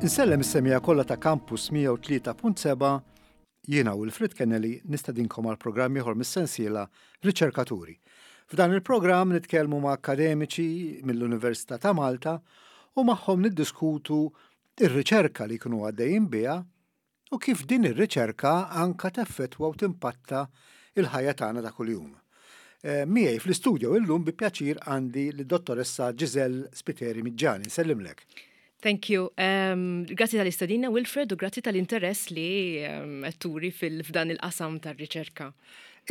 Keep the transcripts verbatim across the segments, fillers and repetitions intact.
Insellem is-semmiegħa kollha ta' Campus mija u tlieta punt seba'. Jiena Wilfred Kennelly nistedinkom għal programm ieħor mis-sensiela Riċerkaturi. F'dan il-programm nitkellmu ma' akademiċi mill-Università ta' Malta u magħhom niddiskutu ir-riċerka li jkunu għaddejjin biha u kif din ir-riċerka anka teffettwa u timpatta il-ħajja tagħna ta' kuljum. Eh, Miegħi fl-istudio illum bi pjaċir għandi lid-dottoressa Giselle Spiteri Miggiani. Nsellimlek. Thank you. Um, grazzi tal-istedina, Wilfred, u grazzi tal-interess li um, turi fil-f'dan il-qasam tar-riċerka.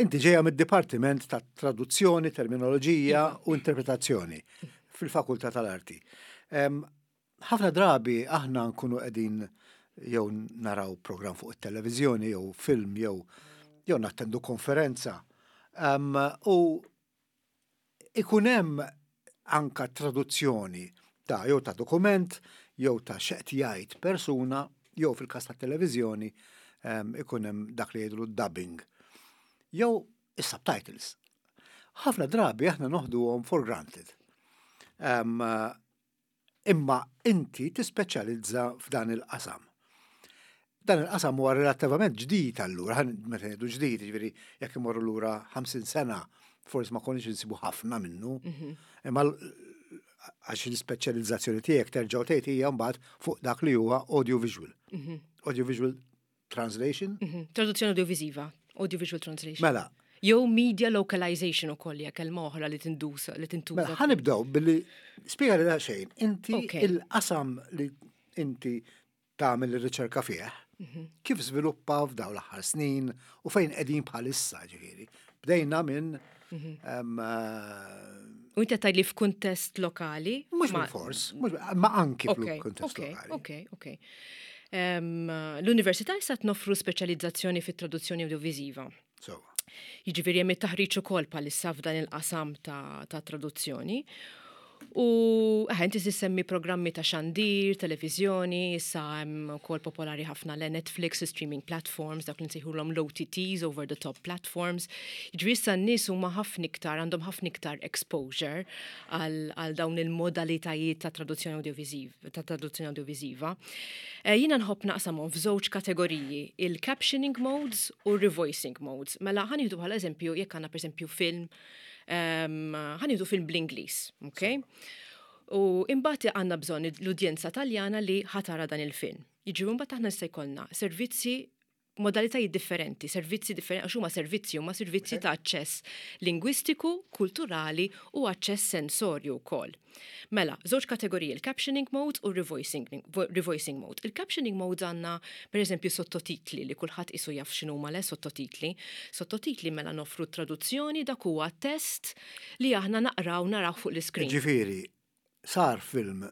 Inti ġeja mid-Dipartiment ta' Traduzzjoni, Terminoloġija u Interpretazzjoni fil-Fakultà tal-Arti. Ħafna drabi aħna nkunu qegħdin jew naraw program fuq it-televiżjoni jew film jew jew nattendu konferenza. Um, u ikun hemm anka traduzzjoni ta' jew ta' dokument jew ta' x'qed jgħid persuna jew fil-każ ta' televiżjoni um, ikun hemm dak li jgħidu dubbing jew is-subtitles. Ħafna drabi aħna noħduhom for granted. Um, imma inti tispeċjalizza f'dan il-qasam. Dan il-qasam huwa relattivament ġdid allura, meta ngħidu ġdid, jiġifieri jekk imorru lura ħamsin sena, forsi ma konniex insibu ħafna minnu. Mhm. Imma għax l-ispeċjalizzazzjoni tiegħek terġgħu tgħid hija mbagħad fuq dak li huwa audiovisual. Mhm. Audiovisual translation. Mhm. Traduzzjoni audiovisiva, audiovisual translation. Mela. Jew media localization ukoll hija kelma oħra li tindusa li tintuża. Mela, ħa nibdew billi spjega li xejn. Inti il-qasam li inti tagħmel ir-riċerka fih, mhm. kif żviluppa f'dawn l-aħħar snin u fejn qegħdin bħalissa, ġifieri? Bdejna minn mhm. U inti tgħid li f'kuntest lokali? Mhux fors, ma anki f'kuntest lokali. Ok, ok. L-Università issa noffru speċjalizzazzjoni fit-traduzzjoni audiovisiva. So. Jiġifieri hemm it-taħriġ ukoll bħalissa f'dan il-qasam ta', ta traduzzjoni. U eh, inti semmi programmi ta' xandir, televizjoni, issa hemm ukoll popolari ħafna le Netflix, streaming platforms, dak li nsejħulhom l-O T Ts, over the top platforms. Jiġifieri issa n-nies huma ħafna iktar, għandhom ħafna iktar exposure għal dawn il-modalitajiet ta' traduzzjoni audiovisiva, ta' traduzzjoni audiovisiva. Eh, jiena nħobb naqsamhom f'żewġ kategoriji, il-captioning modes u revoicing modes. Mela ħa nieħdu bħala eżempju jekk għandna, pereżempju, film, ħa nieħdu film bl-Ingliż, ok? U imbagħad għandna bżonn l-udjenza Taljana li ħa tara dan il-film. Jiġri mbagħad aħna se jkollna servizzi, modalitajiet differenti, servizzi differenti, għax huma servizzi, huma servizzi ta' aċċess lingwistiku, kulturali u aċċess sensorju wkoll. Mela, żewġ kategoriji, il-captioning mode u revoicing, revoicing mode. Il-captioning mode għandna, per eżempju, sottotitli li kulħadd isu jaf x'inhuma le sottotitli. Sottotitli, mela, noffru traduzzjoni, dak huwa test li aħna naqraw, naraw fuq l-iskrin. Ġifieri, sar film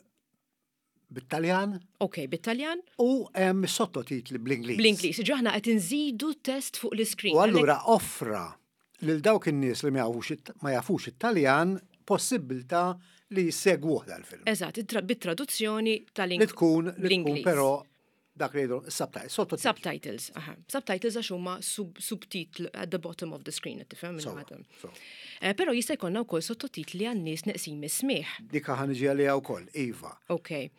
bit-Taljan. Ok, bit-Taljan. U hemm sottotitli bl-Ingliż. Bl-Ingliż, ġi aħna qed inżidu test fuq l-iskrin. U allura offra lil dawk in-nies li ma jafux it-Taljan possibilità li jsegwuh dal-film. Eżatt, bit-traduzzjoni tal-Ingliż. Li tkun li tkun però dak li jgħidu subtitles. Subtitles, aha. Subtitles għax huma subtitl at the bottom of the screen, tifhem? Eh, però jista' jkollna wkoll sottotitli għan-nies neqsin mis-smieħ. Dik ħa niġi għaliha wkoll, iva. Ok.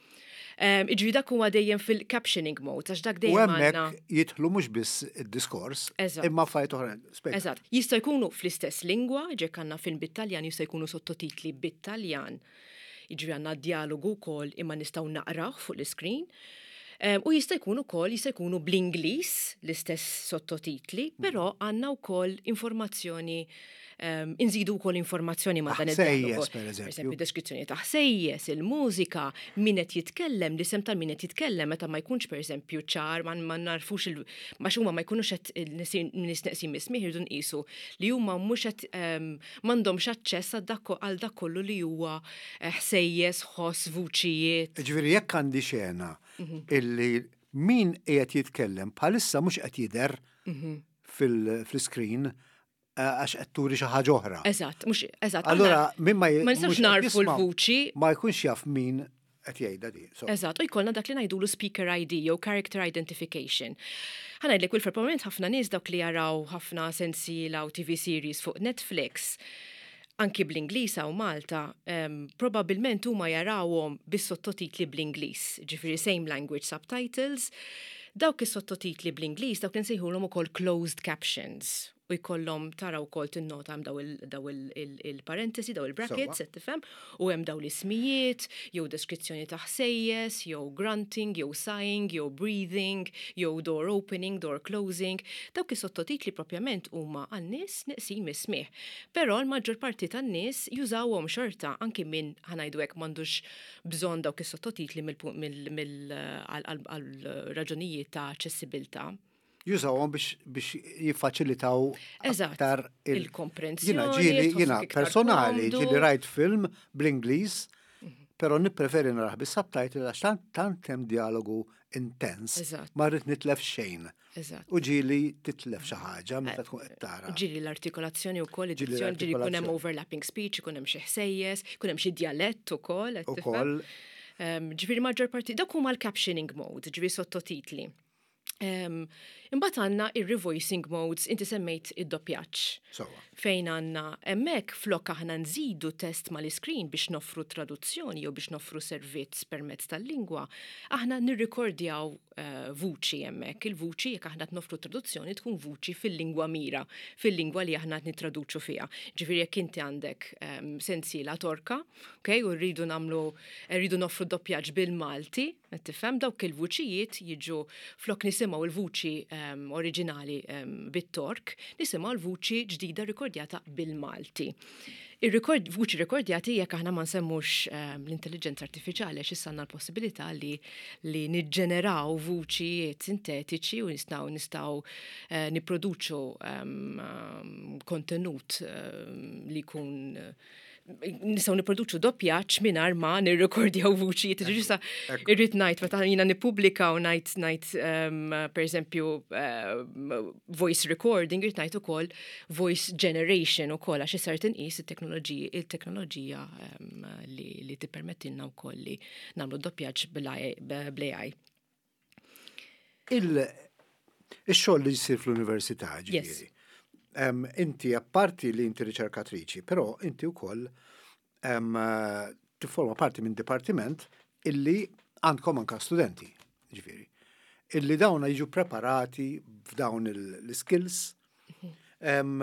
Iġri dak huwa dejjem fil-captioning mode, għax dak dejjem. U hemmhekk jidħlu mhux biss id-diskors, imma affarijiet oħra. Eżatt. Jista' jkunu fl-istess lingwa, jekk għandna film bit-Taljan jista' jkunu sottotitli bit-Taljan. Jiġri għandna dialogu wkoll imma nistgħu naqraw fuq l-screen. U jista' jkun ukoll jista' jkunu bl-Ingliż l-istess sottotitli, però għandna wkoll informazzjoni, um, inżidu wkoll informazzjoni ma' dan il-dialogu. Per eżempju, deskrizzjoni ta' ħsejjes, il-mużika, min qed jitkellem, l-isem tal min qed jitkellem meta ma jkunx, pereżempju, ċar, ma, ma narfux il ma huma ma jkunux qed nies neqsin mis-smieħ, irridu nqisu li huma mhux qed um, m'għandhomx aċċess għal dak kollu li huwa eh, ħsejjes, ħoss, vuċijiet. Ġifieri jekk għandi xena mhm. illi min qiegħed jitkellem bħalissa mhux qed jidher mhm. fil-screen eh, għax qed turi xi ħaġa oħra. Eżatt, mhux eżatt. Allura min ma ma nistgħux narfu l-vuċi. Ma jkunx jaf min qed jgħidha di. Eżatt, u jkollna dak li ngħidulu speaker I D jew character identification. Ħa ngħidlek, Wilfred, probabbilment ħafna nies, dawk li jaraw ħafna sensiela u T V series fuq Netflix, Anki bl-Ingliż u Malta, um, probabilment huma jarawhom bis-sottotitli bl-Ingliż, ġifieri same language subtitles. Dawk is-sottotitli bl-Ingliż dawk insejħulhom ukoll closed captions u jkollhom, tara wkoll, tinnota hemm daw il-parentesi, daw il-brackets, qed tifhem, u hemm daw l-ismijiet, jew deskrizzjoni ta' ħsejjes, jew grunting, jew sighing, jew breathing, jew door opening, door closing. Dawk is-sottotitli propjament huma għan-nies neqsin mis-smigħ. Però l-maġġor parti tan-nies jużawhom xorta, anki min, ħa ngħidu hekk, m'għandux bżonn dawk is-sottotitli għal raġunijiet ta' aċċessibilità. Jużawhom biex biex jiffaċilitaw aktar il-komprensjoni. Jiena ġieli, jiena personali, ġieli rajt film bl-Ingliż, però nippreferi narah bis-subtitle għax tant tant hemm dialogu intens. Ma rrid nitlef xejn. U ġieli titlef xi ħaġa meta tkun qed tara. Ġieli l-artikolazzjoni wkoll, ġieli jkun hemm overlapping speech, ikun hemm xi ħsejjes, ikun hemm xi djalett ukoll. Ukoll. Ġifieri maġġor parti dak huma l-captioning mode, ġifieri sottotitli. Imbagħad għandna ir-revoicing modes, inti semmejt id-doppjaġġ. Fejn għandna hemmhekk, flok aħna nżidu test mal-iskrin biex noffru traduzzjoni jew biex noffru servizz permezz tal-lingwa, aħna nirrikordjaw uh, vuċi hemmhekk. Il-vuċi, jekk aħna noffru traduzzjoni, tkun vuċi fil-lingwa mira, fil-lingwa li aħna nittraduċu fiha. Ġifieri jekk inti għandek um, sensiela Torka, okay, u rridu nagħmlu rridu noffru doppjaġġ bil-Malti, tifhem, dawk il-vuċijiet jiġu, flok nisimgħu il-vuċi um, oriġinali um, bit-Tork, nisimgħu l-vuċi ġdida rikordjata bil-Malti. Il-rekord, vuċi rekordjati, jekk aħna ma nsemmux um, l-intelligenza artifiċjali, għax issa għandna l-possibilità li, li niġġeneraw vuċijiet sintetiċi u nistgħu nistgħu uh, nipproduċu um, kontenut um, li jkun nistgħu nipproduċu doppjaġġ mingħajr ma nirrekordjaw vuċijiet. Ġisa irrid ngħid, meta jiena nippubblika u ngħid ngħid um, pereżempju uh, voice recording, irrid ngħid ukoll voice generation ukoll, għax issa tinqis it-teknoloġija il-teknoloġija um, li, li tippermettilna wkoll li nagħmlu doppjaġġ bl-A I. Il-xogħol li jsir fl-università, ġifieri. Um, inti apparti li inti riċerkatriċi, però inti wkoll um, tifforma parti minn dipartiment illi għandkom anka studenti, ġifieri. Illi dawna jiġu preparati f'dawn l-skills. Um,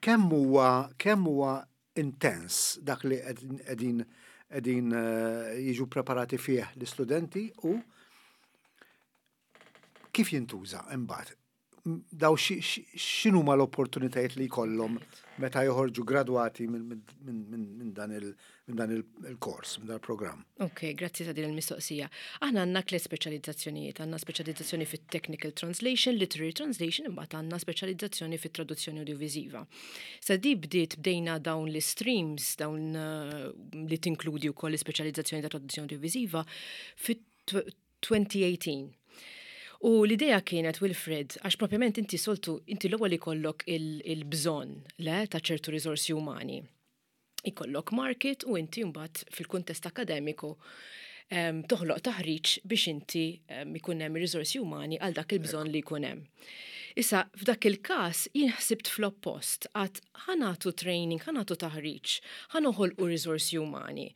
kemm huwa kemm huwa intens dak li qegħdin qegħdin jiġu preparati fih l-istudenti u kif jintuża imbagħad? Daw x'inhuma l-opportunitajiet li jkollhom meta joħorġu gradwati minn dan il-kors, minn dan il-programm? Ok, grazzi ta' din il-mistoqsija. Aħna għandna tliet speċjalizzazzjonijiet, għandna speċjalizzazzjoni fit-technical translation, literary translation, imbagħad għandna speċjalizzazzjoni fit-traduzzjoni audiovisiva. Sa di bdiet bdejna dawn l-streams, dawn li tinkludi wkoll l-ispeċjalizzazzjoni ta' traduzzjoni audiovisiva fit-elfejn u tmintax. U l-idea kienet, Wilfred, għax propjament inti soltu, inti l-ewwel ikollok il-bżonn le ta' ċertu riżorsi umani. Ikollok market u inti mbagħad fil-kuntest akademiku um, toħloq taħriġ biex inti um, ikun hemm riżorsi umani għal dak il-bżonn li jkun hemm. Issa, f'dak il-każ jien ħsibt fl-oppost, għedt ħa nagħtu training, ħa nagħtu taħriġ, ħa noħolqu riżorsi umani.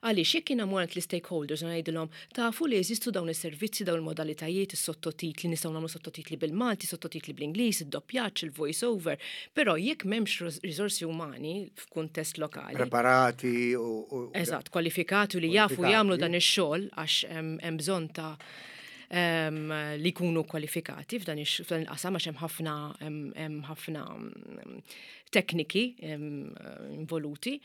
Għaliex jekk jiena mmur l-stakeholders u ngħidilhom, "Tafu li jeżistu dawn is-servizzi, dawn il-modalitajiet, is-sottotitli, nistgħu nagħmlu sottotitli bil-Malti, sottotitli bl-Ingliż, id-doppjaġġ, il-voice over, però jekk m'hemmx riżorsi umani f'kuntest lokali." Preparati u. Eżatt, kwalifikati u li jafu jagħmlu dan ix-xogħol, għax hemm bżonn ta' um, li jkunu kwalifikati f'dan il-qasam, għax hemm ħafna hemm ħafna tekniki involuti.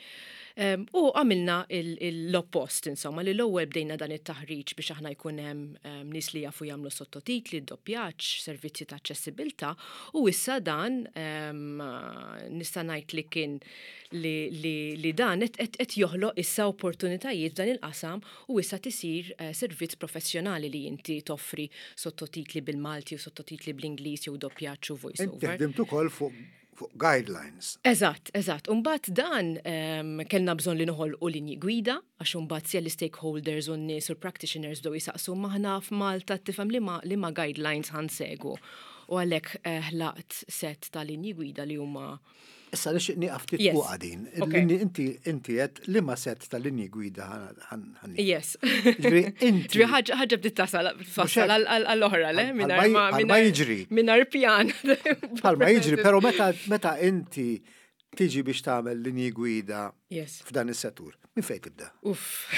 Um, u għamilna l-oppost, insomma, li l-ewwel bdejna dan it-taħriġ biex aħna jkun hemm nies li jafu jagħmlu sottotitli, doppjaġġ, servizzi ta' aċċessibilità, u issa dan um, nista' ngħid li kien li, li, li dan qed joħloq issa opportunitajiet f'dan il-qasam u issa tisir uh, servizz professjonali li inti toffri sottotitli bil-Malti u sottotitli bl-Ingliż jew doppjaġġ u voice over. Inti ħdimt ukoll fuq fuq guidelines. Eżatt, eżatt. Umbagħad dan um, kellna bżonn li noħolqu linji gwida, għax umbagħad sja l-stakeholders u n-nies u l-practitioners bdew jisaqsu, "Aħna f'Malta, tifhem, li ma, li ma guidelines ħa nsegwu?" U għalhekk eh, ħlaqt set ta' linji gwida li huma Issa nixtieq nieqaf ftit Yes. fuq din. Okay. Il-linji- Inti inti qed liema set tal-linji gwida ħan. Yes. Ġifieri inti Ġifieri ħaġa ħaġa bdiet tasal tfassal hekk. għall-oħra, le? Bħal- Mingħajr ma bħal ma jiġri. Mingħajr pjan. Bħalma jiġri, però meta meta inti tiġi biex tagħmel linji gwida Yes. f'dan is-settur, minn fejn tibda? Uff.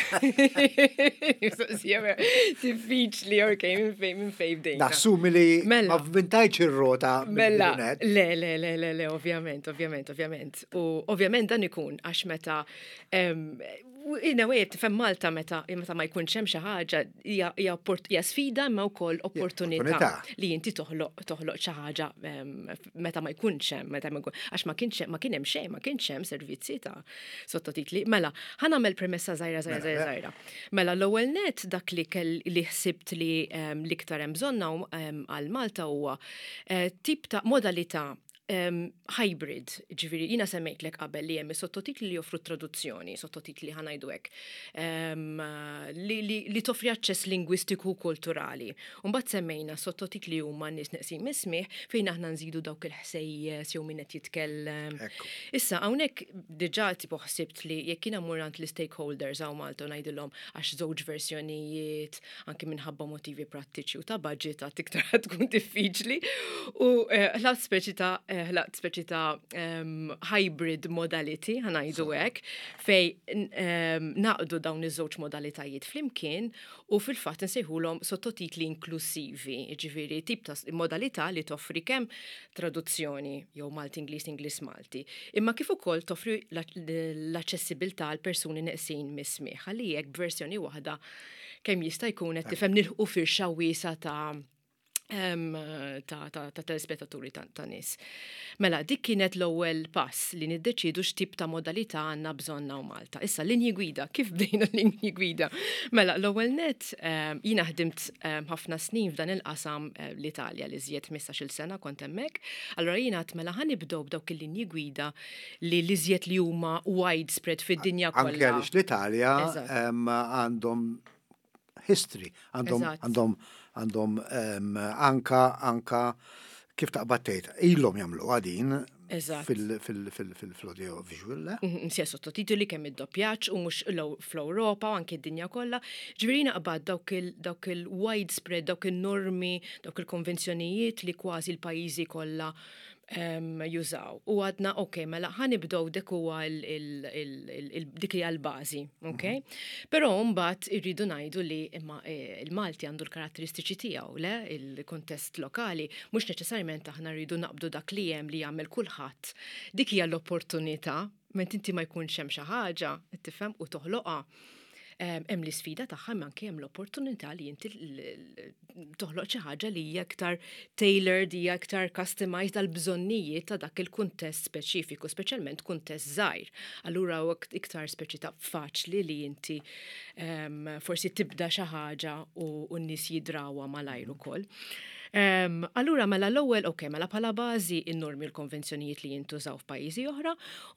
Mistoqsija diffiċli, ok, minn fejn minn fejn bdejna. Nassumi li Mela. ma vvintajtx ir-rota Mela, mill-bidunet. le, le, le, le, le, ovvjament, ovvjament, ovvjament. U ovvjament dan ikun għax meta em, in a way, tifhem Malta meta meta ma jkunx hemm xi ħaġa hija hija opport- hija sfida imma wkoll opportunità opportunità. li inti toħloq toħloq xi ħaġa em, meta ma jkunx hemm, meta ma jkun għax ma kienx ma kien hemm xejn, ma kienx hemm servizzi ta' sottotitli. Mela, ħa nagħmel premessa żgħira żgħira żgħira żgħira. Mela l-ewwel net dak li kell li ħsibt li em, l-iktar hemm bżonna em, għal Malta huwa eh, tip ta' modalità um, hybrid, ġifieri, jiena semmejtlek qabel li hemm sottotitli li joffru traduzzjoni, sottotitli ħa ngħidu hekk, um, li, li, li toffri aċċess lingwistiku u kulturali. Mbagħad semmejna sottotitli huma nies neqsin mis-smigħ fejn aħna nżidu dawk il-ħsejjes jew min qed jitkellem. Ekku. Issa, hawnhekk diġà tipo ħsibt li jekk jiena mmur għand l-stakeholders hawn Malta u ngħidilhom għax żewġ versjonijiet, anki minħabba motivi prattiċi u ta' budget għad iktar ħad tkun diffiċli. U eh, ħlaqt speċi ta' eh, ħlaqt speċi ta' em, hybrid modality, ħa ngħidu hekk, fejn em, naqdu dawn iż-żewġ modalitajiet flimkien u fil-fatt nsejħulhom sottotitli inklusivi, ġifieri tip ta' modalità li toffri kemm traduzzjoni jew Malti Ingliż Ingliż Malti, imma kif ukoll toffri l-aċċessibilità għal persuni neqsin mis-smigħ, ħalli jekk b'versjoni waħda kemm jista' jkun qed tifhem nilħqu firxa wiesa ta' em, ta', ta, ta' telespettaturi ta', ta' nies. Mela, dik kienet l-ewwel pass li niddeċidu x'tip ta' modalità għandna bżonn hawn Malta. Issa, linji gwida, kif bdejna linji gwida? Mela, l-ewwel net em, jiena ħdimt em, ħafna snin f'dan il-qasam eh, l-Italja li żjed ħmistax-il sena kont hemmhekk. Allora jiena għedt mela ħa nibdew b'dawk il-linji gwida li li żjed li huma widespread fid-dinja Anke kollha. għaliex l-Italja Eżatt. em, għandhom history, għandhom Eżatt. għandhom għandhom em, anka anka kif taqbad tgħid, ilhom jagħmlu għadin Eżatt. fil-audio visual, le? Mhm, Sija sottotitoli kemm id-doppjaġġ u mhux l- fl-Ewropa u anke d-dinja kollha. Ġifieri naqbad dawk il- dawk il-widespread, dawk il-normi, dawk il-konvenzjonijiet li kważi l-pajjiżi kollha em, jużaw. U għedna, ok, mela ħa nibdew dik huwa il- il- il- il- il- dik hija l-bażi, ok? Però mbagħad irridu ngħidu li imma eh, il-Malti għandu l-karatteristiċi tiegħu, le il-kontest lokali, mhux neċessarjament aħna rridu naqbdu dak li hemm li jagħmel kulħadd. Dik hija l-opportunità, ment inti ma jkunx hemm xi ħaġa, tifhem u toħloqha. Em, Hemm l-isfida tagħha imma anke hemm l-opportunità li inti l- l- toħloq xi ħaġa li hija aktar tailored, hija aktar customized għal bżonnijiet ta' dak il-kuntest speċifiku, speċjalment kuntest żgħir. Allura huwa iktar speċi ta' faċli li inti em, forsi tibda xi ħaġa u u n-nies jidrawha malajr ukoll. Um, allura mela l-ewwel, ok, mela bħala bażi in-normi l-konvenzjonijiet li jintużaw f'pajjiżi oħra,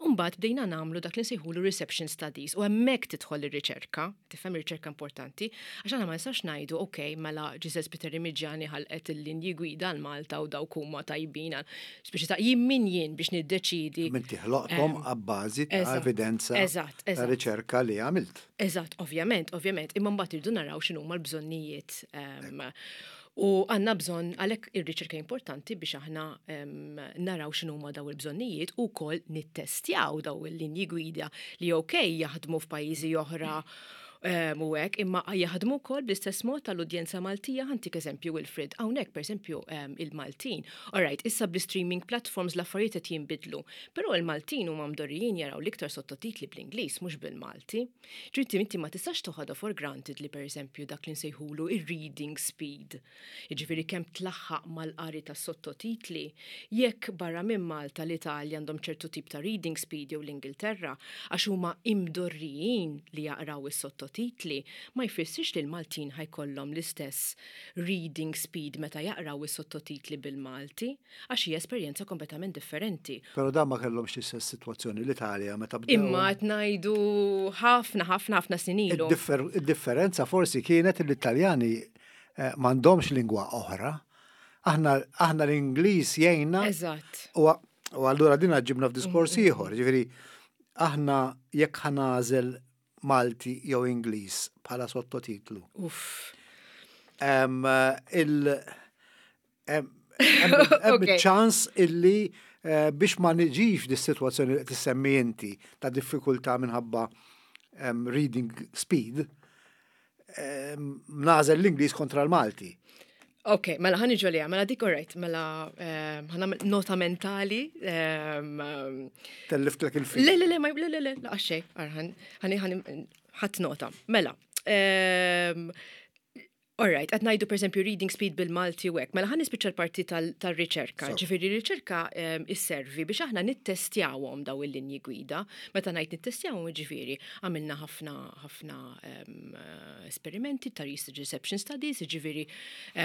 u mbagħad bdejna nagħmlu dak li nsejħulu reception studies u hemmhekk tidħol ir-riċerka, tifhem ir-riċerka importanti, għax aħna ma nistax ngħidu, ok, mela Giselle Spiteri Miggiani ħalqet il-linji gwida għal Malta u dawk huma tajbin, għal- speċi ta' jien min jien biex niddeċidi. Inti ħloqthom abbażi ta' eżatt, evidenza eżatt, ta' eżatt. riċerka li għamilt. Eżatt, ovvjament, ovvjament, imma mbagħad irridu naraw x'inhuma l-bżonnijiet. Um, u għandna bżonn għalhekk ir-riċerka importanti biex aħna um, naraw x'inhuma daw il-bżonnijiet u wkoll nittestjaw daw il-linji gwida li ok jaħdmu f'pajjiżi oħra um, u hekk, imma jaħdmu wkoll bl-istess mod tal-udjenza Maltija ħa ntik eżempju Wilfred, hawnhekk pereżempju um, il-Maltin. Alright, issa bl-streaming platforms l-affarijiet qed jinbidlu, però il-Maltin huma mdorrijin jaraw l-iktar sottotitli bl-Ingliż mhux bil-Malti. Ġifieri inti ma tistax toħodha for granted li pereżempju dak li nsejħulu ir-reading speed. Jiġifieri kemm tlaħħaq mal-qari tas sottotitli, jekk barra minn Malta l-Italja għandhom ċertu tip ta' reading speed jew l-Ingilterra, għax huma imdorrijin li jaqraw is-sottotitli, ma jfissirx li l-Maltin ħa jkollhom l-istess reading speed meta jaqraw is-sottotitli bil-Malti, għax hija esperjenza kompletament differenti. Però dan ma kellhomx l-istess sitwazzjoni l-Italja meta bdew. Imma qed ngħidu ħafna ħafna ħafna snin ilu. Id-differ- Id-differenza forsi kienet li l-Italjani eh, m'għandhomx lingwa oħra. Aħna aħna l-Ingliż jgħinna Eżatt. u U allura din ġibna f'diskors ieħor, ġifieri aħna jekk ħa nagħżel Malti jew Ingliż bħala sottotitlu. Uff. Em, il hemm hemm ċans illi eh, biex ma niġix dis-sitwazzjoni li tissemmi inti ta' diffikultà minħabba em, reading speed, em, nagħżel l-Ingliż kontra l-Malti. Ok, mela ħa niġu għaliha, mela dik alright, mela ehm, ħa nagħmel nota mentali. ehm, ehm, Telliftlek il-film. Le, le, le, ma, le, le, le, la, xej, ħani, ħani, ħadt nota. Mela, ehm, Alright, qed ngħidu per esempio reading speed bil-Malti u hekk. Mela ħa nispiċċa l-parti tal-riċerka. So. Ġifieri riċerka um, isservi biex aħna nittestjawhom daw il-linji gwida. Meta ngħid nittestjawhom, ġifieri għamilna ħafna ħafna um, esperimenti ta' research reception studies, ġifieri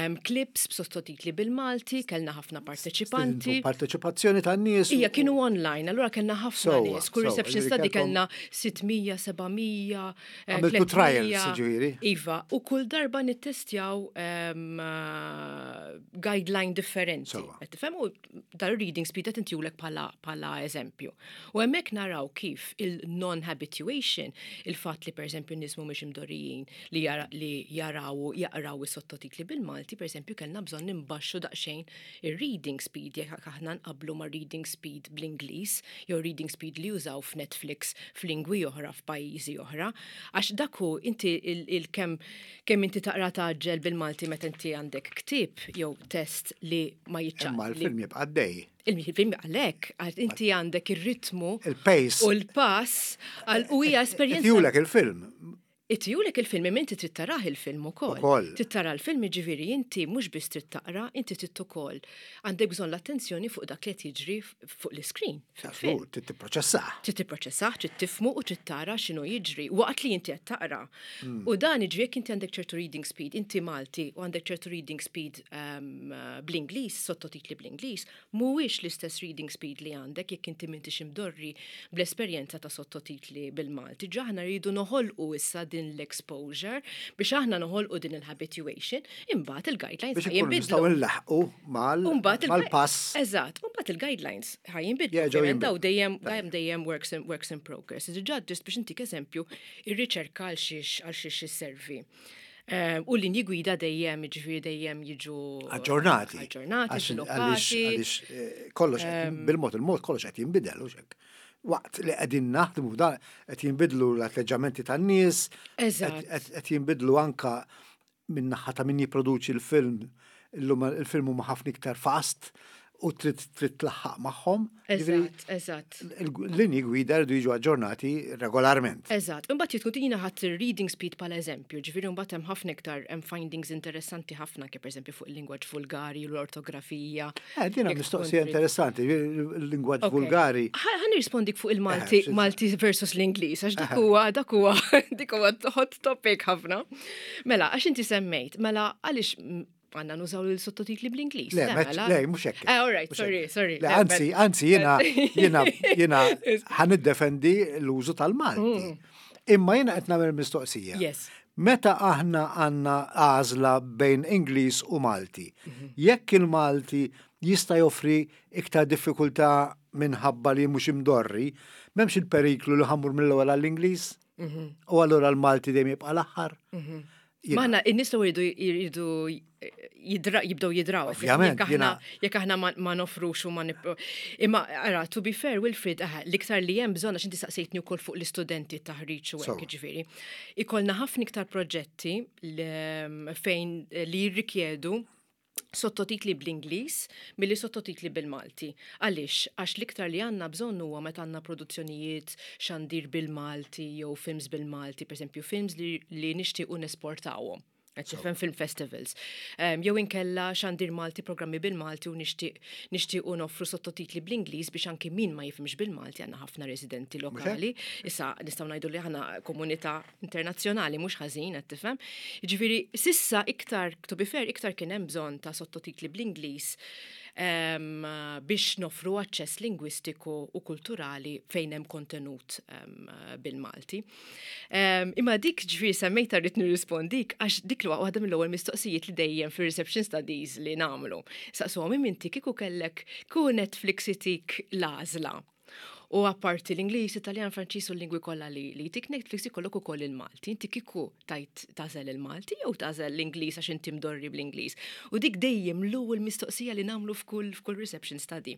um, clips b'sottotitli bil-Malti, kellna ħafna parteċipanti. Parteċipazzjoni tan-nies. Ija, kienu online, allura kellna ħafna Sewwa, nies. Kull sewwa, reception ġifieri study kellkom- kellna sitt mija, seba' mija, eh, Għamiltu tliet mija. trials, ġifieri. Iva, u kull darba nittestjaw um, uh, guideline differenti. Sewwa. Qed tifhem? U dal-reading speed qed intihulek bħala bħala eżempju. U hemmhekk naraw kif il-non-habituation, il-fatt li pereżempju n-nies mhumiex imdorrijin li, jara, li jaraw u jaqraw is-sottotitli bil-Malti, pereżempju kellna bżonn nimbaxxu daqsxejn ir-reading speed jekk aħna nqablu ma' reading speed bl-Ingliż jew reading speed li jużaw f'Netflix f'lingwi oħra, f'pajjiżi oħra, għax dak hu inti il-kemm kemm inti taqra tgħaġġel bil-Malti meta inti għandek ktieb jew test li ma jiċċaq. Imma l-film jibqa' għaddej. Il-film għalhekk, għal inti għandek ir-ritmu Il-pace. u l-pass għal- u hija esperjenza. Itihulek il-film. Itihulek il-film, imma inti trid tarah il-film ukoll. Ukoll. Trid tara l-film, ġifieri inti mhux biss trid taqra, inti trid ukoll. Għandek bżonn l-attenzjoni fuq dak li qed jiġri fuq l-iskrin fil-film. Żgur, trid tipproċessah. Trid tipproċessah, trid tifhmu u trid tara x'inhu jiġri waqt li inti qed taqra. U dan jiġri jekk inti għandek ċertu reading speed, inti Malti u għandek ċertu reading speed um, bl-Ingliż, sottotitli bl-Ingliż, mhuwiex l-istess reading speed li għandek jekk inti m'intix imdorri bl-esperjenza ta' sottotitli bil-Malti. Ġa aħna rridu noħolqu issa din l-exposure biex aħna noħolqu din il-habituation, imbagħad il-guidelines Biex ħa ikunu jinbidlu. nistgħu nlaħqu mal- Umbagħad il- mal-pass. Eżatt, umbagħad il-guidelines ħa jinbidlu. Jerġgħu Ovvjament daw jinbidlu. dejjem dejjem dejjem works in, works in progress. Diġà just biex intik eżempju, ir-riċerka għal xiex għal xiex isservi. Eh, U linji gwida dejjem, ġifieri dejjem jiġu Aġġornati. Aġġornati, Għax- sviluppati. Għaliex għaliex, eh, kollox qed- bil-mod il-mod kollox qed jinbidel u hekk. Waqt li qegħdin naħdmu dan qed jinbidlu l-atteġġamenti tan-nies, Eżatt. qed qed jinbidlu anka minn naħa ta' min jipproduċi l-film, illum il-film huma ħafna iktar fast u trid trid tlaħħaq magħhom. Ġifieri, Eżatt, eżatt. il-linji gwida rridu jiġu aġġornati regolarment. Eżatt, imbagħad jitkun jiena ħadt reading speed bħala eżempju, ġifieri mbagħad hemm ħafna iktar, hemm findings interessanti ħafna kif pereżempju fuq il-lingwaġġ vulgari, l-ortografija. Eh, dina Jekk mistoqsija tkun trid- interessanti, il-lingwaġġ Ok. vulgari. Ħa ħa nirrispondik fuq il-Malti, Eh, xi- Malti versus l-Ingliż, għax dak huwa dak huwa dik huwa hot topic ħafna. Mela, għax inti semmejt, mela għaliex mm, għandna nużaw il-sottotitli bl-Ingliż? Le, meċ- mela. le, mhux hekk. Eh, all right, Mhux sorry, hekk. sorry. Le, Le, anzi, bel- anzi, jiena, jiena, jiena ħa niddefendi l-użu tal-Malti. Imma jiena qed nagħmel mistoqsija. Mm. Yes. Meta aħna għandna għażla bejn Ingliż u Malti, jekk il-Malti jista' joffri iktar diffikultà minħabba li mhux imdorri, m'hemmx il-periklu li ħa mmur mill-ewwel għall-Ingliż? U allura l-Malti dejjem jibqa' l-aħħar? Jiena- Maħna, in-nies jridu jridu jidra, jibdew jidraw. Ovvjament, Jekk aħna jiena- jekk aħna ma, ma nofrux u ma nip... Imma, ara, to be fair, Wilfred, aha, l-iktar li hemm bżonn, għax inti saqsejtni wkoll fuq l-istudenti taħriġ u hekk, Sewwa. ġifieri. Ikollna ħafna iktar proġetti li- fejn li jirrikjedu sottotitli bl-Ingliż milli sottotitli bil-Malti. Għaliex? Għax l-iktar li għandna bżonn huwa meta għandna produzzjonijiet xandir bil-Malti jew films bil-Malti, per esempio films li, li nixtiequ nesportawhom. Qed tifhem, film festivals. Um, jew inkella xandir Malti, programmi bil-Malti u nixtieq nixtiequ noffru sottotitli bl-Ingliż biex anki min ma jifhimx bil-Malti, għandna ħafna residenti lokali. Issa nistgħu ngħidu li aħna komunità internazzjonali mhux ħażin, qed tifhem. Jiġifieri s'issa iktar, to be fair, iktar kien hemm bżonn ta' sottotitli bl-Ingliż. um, biex nofru aċċess lingwistiku u kulturali fejn hemm kontenut um, bil-Malti. Um, imma dik ġifieri semmejta rrid nirrispondik għax dik l waħda mill-ewwel mistoqsijiet li dejjem fir-reception studies li nagħmlu. Saqsuhom inti kieku kellek kieku Netflix itik l-għażla. U apparti l-Ingliż, Italjan, Franċiż u l-lingwi kollha li li tik Netflix ikollok ukoll il-Malti. Inti kieku tajt tagħżel il-Malti jew tagħżel l-Ingliż għax inti mdorri bl-Ingliż. U dik dejjem l-ewwel mistoqsija li nagħmlu f'kull f'kull reception study.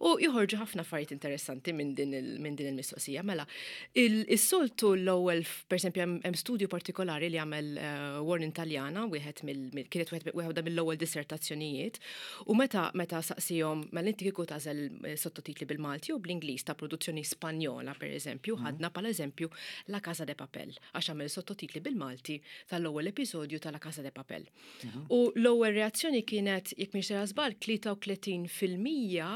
U joħorġu ħafna affarijiet interessanti minn din il- minn din il-mistoqsija. Mela, il-soltu l-ewwel, pereżempju, hemm studju partikolari li għamel uh, Warren Taljana, wieħed mill kienet wieħed mill-ewwel dissertazzjonijiet, u meta meta saqsihom mela inti kieku tagħżel eh, sottotitli bil-Malti u bl-Ingliż ta' produzzjoni Spanjola, per eżempju, mhm. ħadna pal eżempju La Casa de Papel, għax għamel sottotitli bil-Malti tal-ewwel episodju ta' La Casa de Papel. Mhm. U l-ewwel reazzjoni kienet, jekk mhix żball, tlieta u tletin fil-mija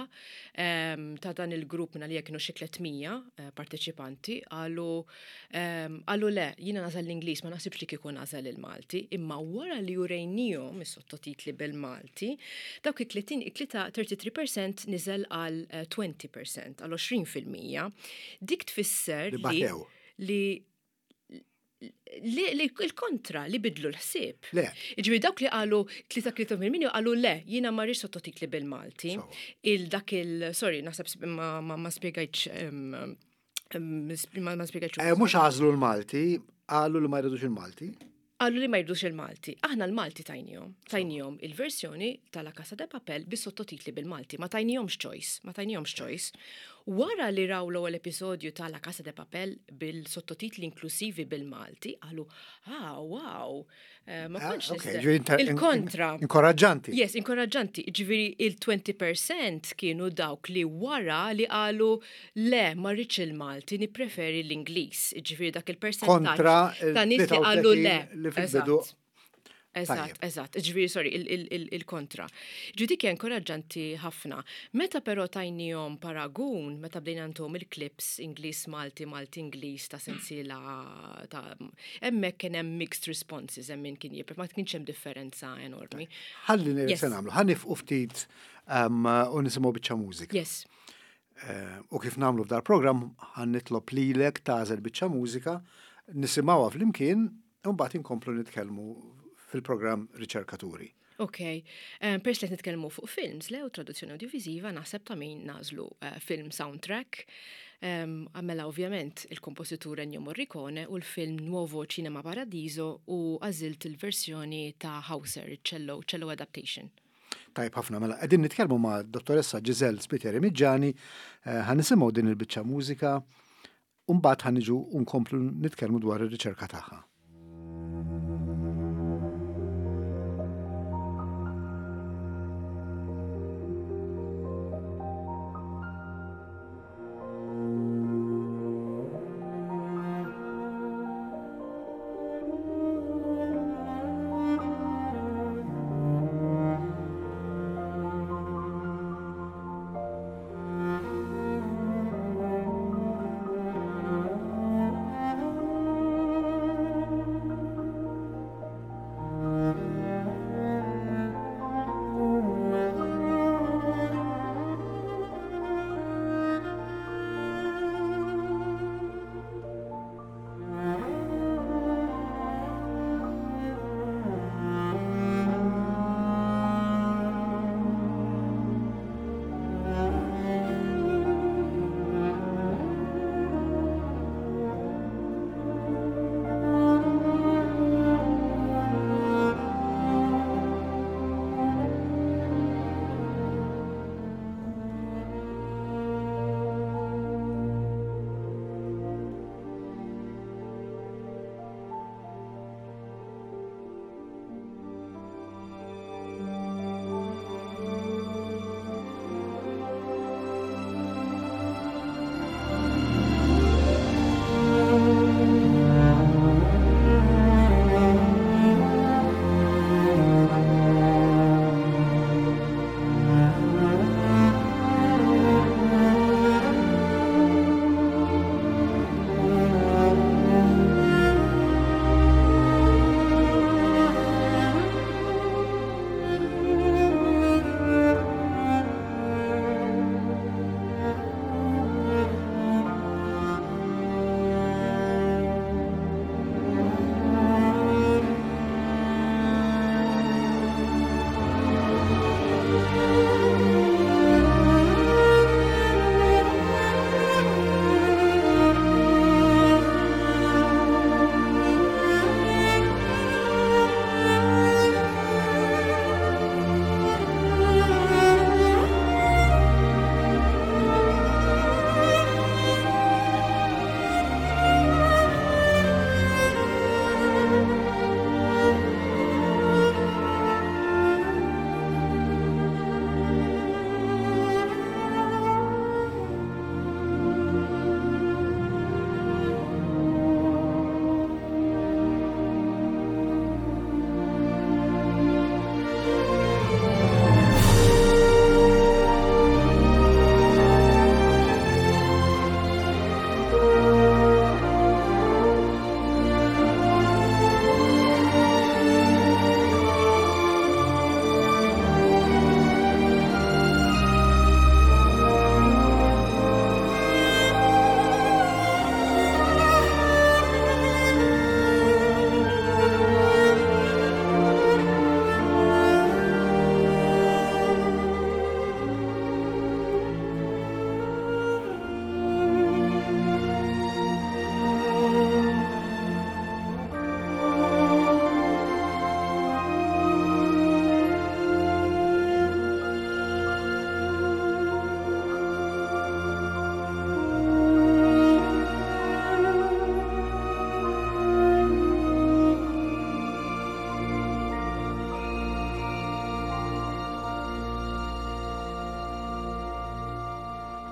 ehm, ta' dan il-grupp minna li kienu xi tliet mija eh, parteċipanti qalu ehm, qalu le, jiena nagħżel l-Ingliż, ma naħsibx li kieku nagħżel il-Malti, imma wara li urejnihom is-sottotitli bil-Malti, dawk it-tletin, tlieta u tletin fil-mija niżel għal għoxrin fil-mija, għal għoxrin fil-mija. Dik tfisser li li li li il-kontra li bidlu l-ħsieb. Le. Ġifieri dawk li qalu tlieta fil-mija qalu le, jiena ma rridx sottotitli bil-Malti. Il dak il sorry, naħseb ma ma, ma spjegajtx ma, ma spjegajtx. Eh, mhux għażlu l-Malti, qalu li ma jridux il-Malti. Qalu li ma jridux il-Malti. Aħna l-Malti tajnihom. Tajnihom il-versjoni tal-La Casa de Papel bis sottotitli bil-Malti. Ma tajnihomx choice. Ma tajnihomx choice. Wara li raw l-ewwel episodju ta' La Casa de Papel bil-sottotitli inklusivi bil-Malti, qalu, "Ah, wow, eh, ma ah, kontx okay, Il-kontra. Inkoraġġanti. Yes, inkoraġġanti. Ġifieri il-għoxrin fil-mija kienu dawk li wara li qalu le, ma rridx il-Malti, nippreferi l-Ingliż. Ġifieri dak il-percentaġġ Kontra ta' nies li qalu le. li fil-bidu. Eżatt, eżatt, ġifieri, sorry, il-kontra. Ġifieri dik inkoraġġanti ħafna. Meta però tajnihom paragun, meta bdejna ntuhom il-clips Ingliż Malti, Malti Ingliż ta' sensiela ta' hemmhekk kien hemm mixed responses, hemm min kien jipper, ma kienx hemm differenza enormi. Ħalli se nagħmlu, ħa nieqfu ftit um, u nisimgħu biċċa mużika. Yes. Eh, u kif nagħmlu f'dal-programm ħa nitlob lilek tagħżel biċċa mużika, nisimgħuha flimkien u mbagħad inkomplu nitkellmu fil-programm Riċerkaturi. Ok, um, pers li nitkellmu fuq films, le u traduzzjoni audiovisiva, naħseb ta' min nagħżlu uh, film soundtrack. Um, għamela ovvjament il-kompositur Ennio Morricone u l-film Nuovo Cinema Paradiso u għażilt il-versjoni ta' Hauser, cello, cello adaptation. Tajb ħafna, mela qegħdin nitkellmu ma' dottoressa Giselle Spiteri Miġġani, eh, ħa nisimgħu din il-biċċa mużika u mbagħad ħa niġu nkomplu nitkellmu dwar ir-riċerka tagħha.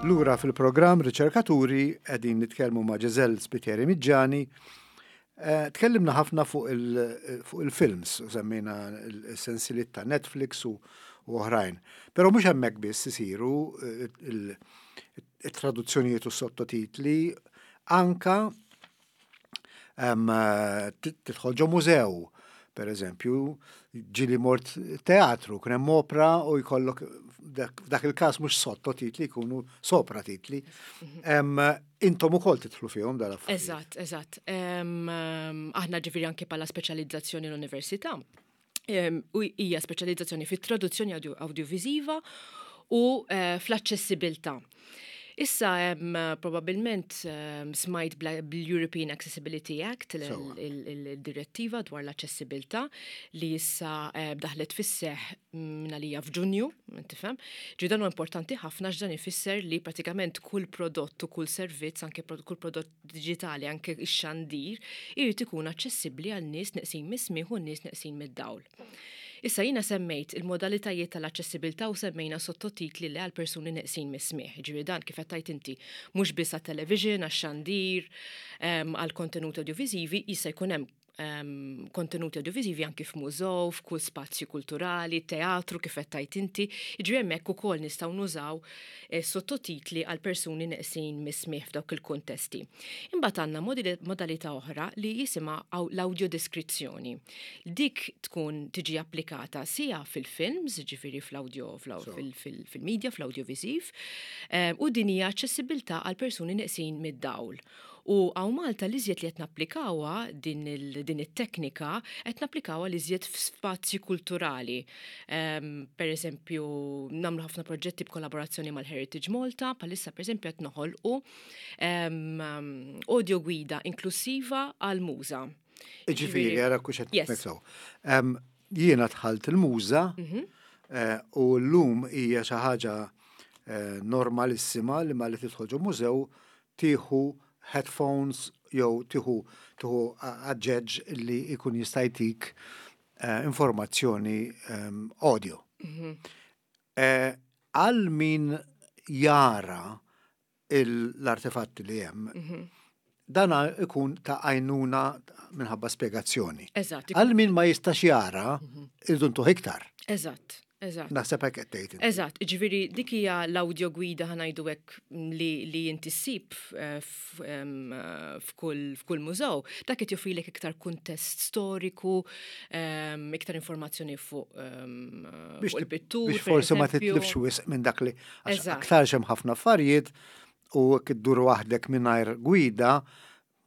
Lura fil-programm Riċerkaturi, qegħdin nitkellmu ma' Giselle Spiteri Miggiani. Eh, tkellimna ħafna fuq il-films, u semmejna l-sensiliet ta' Netflix u oħrajn. Però mhux hemmhekk biss isiru eh, il-traduzzjonijiet u sottotitli, anka tidħol ġo mużew, per eżempju, ġieli mort teatru, kien hemm opra u jkollok dak il-każ mhux sottotitli, jkunu sopratitli. Intom ukoll tidħlu fihom dal-affarijiet. Eżatt, eżatt. Aħna ġifieri anke bħala speċjalizzazzjoni l-università. U hija speċjalizzazzjoni fit-traduzzjoni audiovisiva u eh, fl-aċċessibilità. Issa hemm probabbilment smajt bl-European Accessibility Act, il-direttiva dwar l-aċċessibilità li issa daħlet fis-seħ minn f'Ġunju, tifhem. Ġi dan huwa importanti ħafna x'dan ifisser li pratikament kull prodott u kull servizz, anke kull prodott digitali, anke ix-xandir, irid ikun aċċessibbli għal nies neqsin mis-smieħ u nies neqsin mid-dawl. Issa jiena semmejt il-modalitajiet tal-aċċessibilità u semmejna sottotitli li għal persuni neqsin mis-smieħ. Ġifieri dan kif qed inti mhux biss għat-television, għax-xandir, għal kontenuti audiovisivi, jista' jkun hemm um, kontenuti audiovisivi anki f'mużew, f'kull spazju kulturali, teatru kif qed tgħid inti. Jiġifieri hemmhekk ukoll nistgħu nużaw eh, sottotitli għal persuni neqsin mis-smieħ f'dawk il-kuntesti. Imbagħad għandna modalità oħra li jisimha l-audiodeskrizzjoni. Dik tkun tiġi applikata sia fil-films, ġifieri fl-audio fil-media, fl-audiovisiv, eh, u din hija aċċessibilità għal persuni neqsin mid-dawl. U hawn Malta li li qed napplikawha din it-teknika qed napplikawha li iżjed f'spazji kulturali. Um, per eżempju, nagħmlu ħafna proġetti b'kollaborazzjoni mal-Heritage Malta, bħalissa per eżempju qed noħolqu um, audio gwida inklusiva għal-muża. Ġifieri, għara kux qed Jiena dħalt il-muża mhm. eh, u l-lum hija xi ħaġa eh, normalissima li ma li tidħol ġo mużew tieħu headphones jew tieħu tieħu aġġeġ li jkun jista' jtik eh, informazzjoni um, audio. Mhm. Għal min jara l-artefatti li hemm, mhm. dana ikun ta' għajnuna minħabba spiegazzjoni. Eżatt. Għal min ma jistax jara, mhm. irridu ntuh iktar. Eżatt. Eżatt. Naħseb hekk qed tgħid. Eżatt, ġifieri dik hija l-audio gwida, ħa ngħidu hekk, li, li inti ssib eh, f'kull f'kull mużew, dak qed joffrilek iktar kuntest storiku, iktar informazzjoni fuq fuq il-pittur. Biex forsi ma titlifx wisq minn dak li aktar hemm ħafna affarijiet u iddur waħdek mingħajr gwida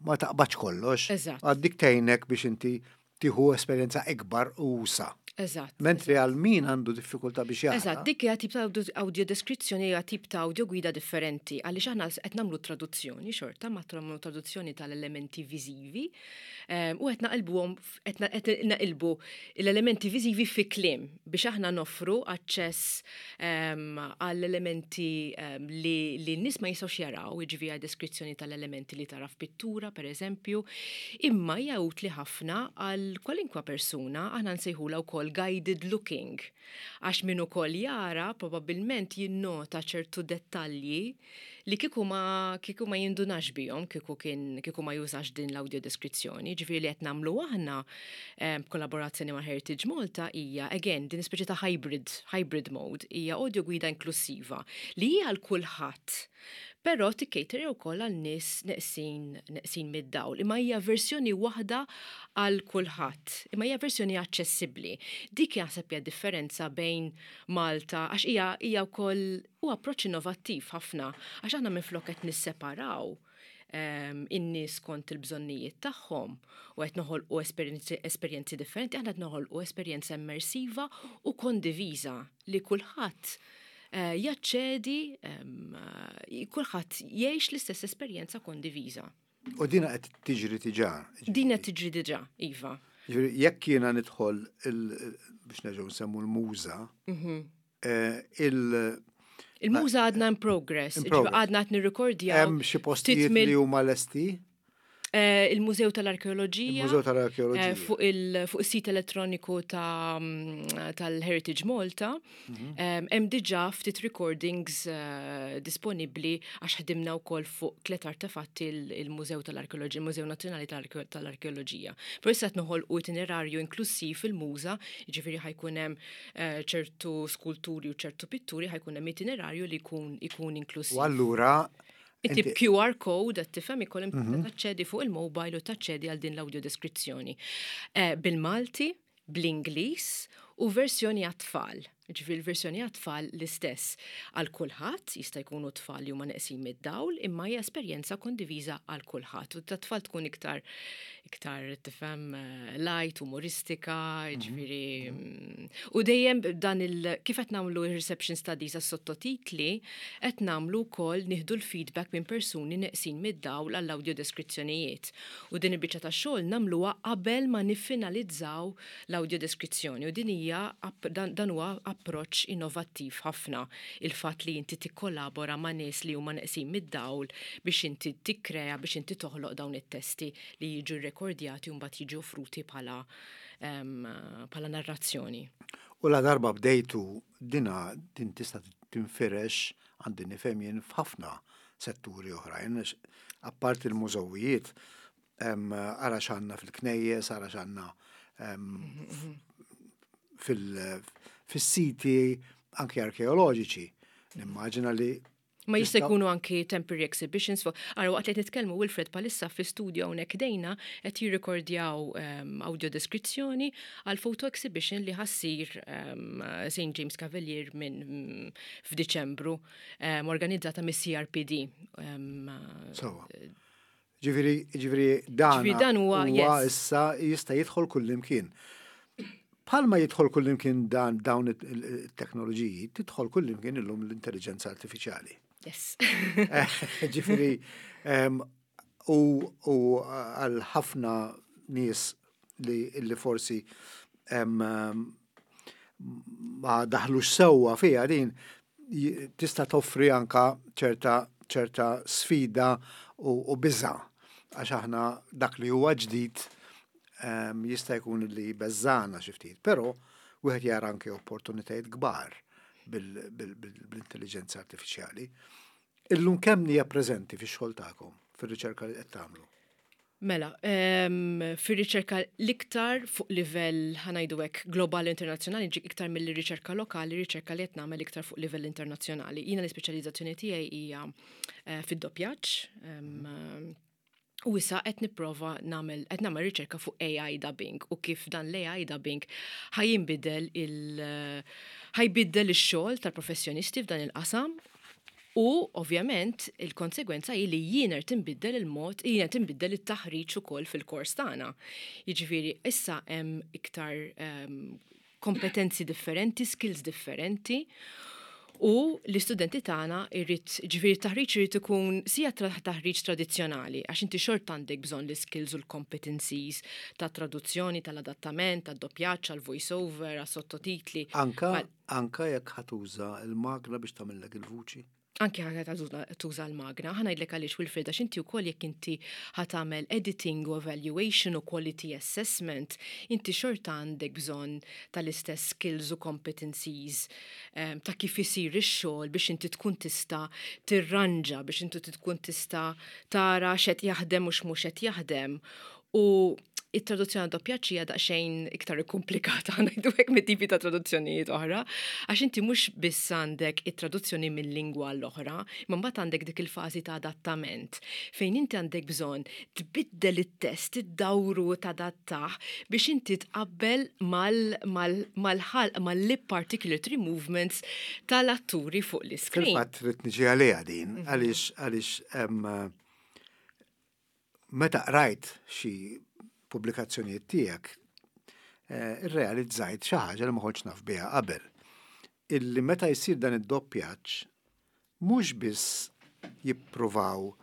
ma taqbadx kollox. Eżatt. Għaddik tgħinek biex inti tieħu esperjenza ikbar u usa'. Eżatt. Mentri għal min għandu diffikultà biex jara. Eżatt, dik hija tip ta' audio deskrizzjoni, hija tip ta' audio gwida differenti, għaliex aħna qed nagħmlu traduzzjoni xorta, ma nagħmlu traduzzjoni tal-elementi viżivi ehm, u qed naqilbuhom qed naqilbu l-elementi viżivi fi kliem biex aħna noffru aċċess ehm, għall-elementi ehm, li li n-nies ma jistgħux jaraw, jiġifieri deskrizzjoni tal-elementi li tara f'pittura, per eżempju, imma hija utli ħafna għal kwalinkwa persuna, aħna nsejħula wkoll guided looking. Għax min ukoll jara probabbilment jinnota ċertu dettalji li kieku ma kieku ma jindunax bihom kieku kien kieku ma jużax din l-audio deskrizzjoni. Ġifieri li qed nagħmlu aħna b'kollaborazzjoni ma' Heritage Malta hija again din speċi ta' hybrid hybrid mode, hija audio gwida inklusiva li hija għal kulħadd. Però tikkejteri wkoll għal nies neqsin neqsin mid-dawl. Imma hija versjoni waħda għal kulħadd. Imma hija versjoni aċċessibbli. Dik jaħseb hija differenza bejn Malta, għax hija hija wkoll u approċċ innovattiv ħafna, għax aħna minflok qed nisseparaw um, in-nies kont il-bżonnijiet tagħhom u qed noħolqu esperjenzi, esperjenzi differenti, aħna qed noħolqu esperjenza immersiva u kondiviża li kulħadd eh, jaċċedi, um, kulħadd jgħix l-istess esperjenza kondiviża. U dina qed tiġri diġà. Din qed tiġri diġà, iva. Ġifieri jekk jiena nidħol biex nerġgħu nsemmu l-muża, mhm. eh, il- Il-muża għadna in progress, In progress. għadna qed nirrekordjaw. Hemm xi postijiet li huma lesti? Eh, Il-Mużew tal-Arkeoloġija. Il-Mużew tal-Arkeoloġija. Eh, Fuq il- fuq is-sit elettroniku ta' mm, tal-Heritage Malta. Em, Hemm diġà ftit recordings eh, disponibbli għax ħdimna wkoll fuq tliet artefatti il- il-Mużew tal-Arkeoloġija, il-Mużew Nazzjonali tal-Arke- tal-Arkeoloġija. Però issa qed noħolqu itinerarju inklusiv fil-muża, jiġifieri ħa jkun hemm eh, ċertu skulturi u ċertu pitturi, ħa jkun hemm itinerarju li jkun ikun inklusiv. U allura Inti Q R code qed tifhem ikollhom taċċedi fuq il-mobile u taċċedi għal din l-audio deskrizzjoni. Eh, Bil-Malti, bl-Ingliż u versjoni għat-tfal. Ġifieri l-versjoni għat-tfal l-istess għal kulħadd, jista' jkunu tfal li huma neqsin mid-dawl, imma hija esperjenza kondiviża għal kulħadd. U tat-tfal tkun iktar iktar tifhem eh, light, umoristika, ġifieri. mm, U dejjem dan il kif qed nagħmlu reception studies għas sottotitli, qed nagħmlu wkoll nieħdu l-feedback minn persuni neqsin mid-dawl għall-audio deskrizzjonijiet. U din il-biċċa ta' xogħol nagħmluha qabel ma niffinalizzaw l-audio deskrizzjoni. U din hija app- dan, dan huwa approċċ innovattiv ħafna, il-fatt li inti tikkollabora ma' nies li huma neqsin mid-dawl biex inti tikkrea, biex inti toħloq dawn it-testi li jiġu rekordjati u mbagħad jiġu offruti bħala em, bħala narrazzjoni. U la darba bdejtu dina din tista' tinfirex, għandi nifhem jien, f'ħafna setturi oħrajn, għax apart il-mużewijiet, em, ara x'għandna fil-knejjes, ara x'għandna em, fil- fis-siti anke arkeoloġiċi. Nimmaġina li Ma jista' Tista' jkunu anki temporary exhibitions. Fu Ara, waqt li qed nitkellmu, Wilfred, bħalissa fi studio hawnhekk dejna qed jirrekordjaw um, audio deskrizzjoni għal photo exhibition li ħa ssir um, Saint James Cavalier minn mm, f'Diċembru um, organizzata mis-C R P D. Um, Sewwa. Ġifieri, ġifieri dan Ġifieri dan huwa, yes. Issa jista' jidħol kullimkien. Palma jidħol kullimkien dan dawn it-teknoloġiji, tidħol kullimkien illum l-intelligenza artifiċjali. Yes. Ġifieri, em, u u għal ħafna nies li, li forsi em, em, ma daħlux sewwa fija din, j- tista' toffri anka ċerta ċerta sfida u, u biża, għax aħna dak li huwa ġdid em, jista' jkun li beżżana xi ftit, però wieħed jara anke opportunitajiet kbar bil- bil- bil- bil-intelligenza artifiċjali. Illum kemm hija preżenti fix-xogħol tagħkom, fir-riċerka li qed tagħmlu? Mela, um, fir-riċerka l-iktar fuq livell, ħa ngħidu hekk, globali, internazzjonali, ġik iktar mill-riċerka lokali, riċerka li qed nagħmel iktar fuq livell internazzjonali. Jiena l-ispeċjalizzazzjoni tiegħi hija uh, fid-doppjaġġ. Um, U issa qed nipprova nagħmel qed nagħmel riċerka fuq A I dubbing u kif dan l-A I dubbing ħa jinbidel il ħa jbiddel ix-xogħol tal-professjonisti f'dan il-qasam. U ovvjament il-konsegwenza hi li jiena tinbiddel il-mod, jiena tinbiddel it-taħriġ ukoll fil-kors tagħna. Jiġifieri issa hemm iktar um, kompetenzi differenti, skills differenti. U l-istudenti tagħna irrid, ġifieri taħriġ irid ikun sija tra- taħriġ tradizzjonali, għax inti xort għandek bżonn l-skills u l-competencies ta' traduzzjoni, tal-adattament, tad-doppjaġġ, għal-voice over, għas-sottotitli. Anka Ma- anka jekk ħa tuża il-magna biex tagħmellek il-vuċi. Anki ħa tuża l-magna, ħa ngħidlek għaliex, Wilfred, għax inti wkoll jekk inti ħa tagħmel editing u evaluation u quality assessment, inti xorta għandek bżonn tal-istess skills u competencies um, ta' kif isir ix-xogħol biex inti tkun tista' tirranġa, biex inti tkun tista' tara x'qed jaħdem u x'mhux qed jaħdem. U it-traduzzjoni doppjaġġ hija daqsxejn iktar komplikata, ngħidu hekk, mit-tipi ta' traduzzjonijiet oħra, għax inti mhux biss għandek it-traduzzjoni minn lingwa l-oħra, imma mbagħad għandek dik il-fażi ta' adattament fejn inti għandek bżonn tbiddel it-test, iddawru, tadattah biex inti tqabbel mal-ħalq, mal-lip articulatory movements tal-atturi fuq l-screen. Fil-fatt rrid niġi għaliha din, għaliex għaliex em, meta qrajt xi pubblikazzjonijiet tiegħek, eh, irrealizzajt xi ħaġa li ma kontx naf biha qabel. Illi meta jsir dan id-doppjaġġ, mhux biss jippruvaw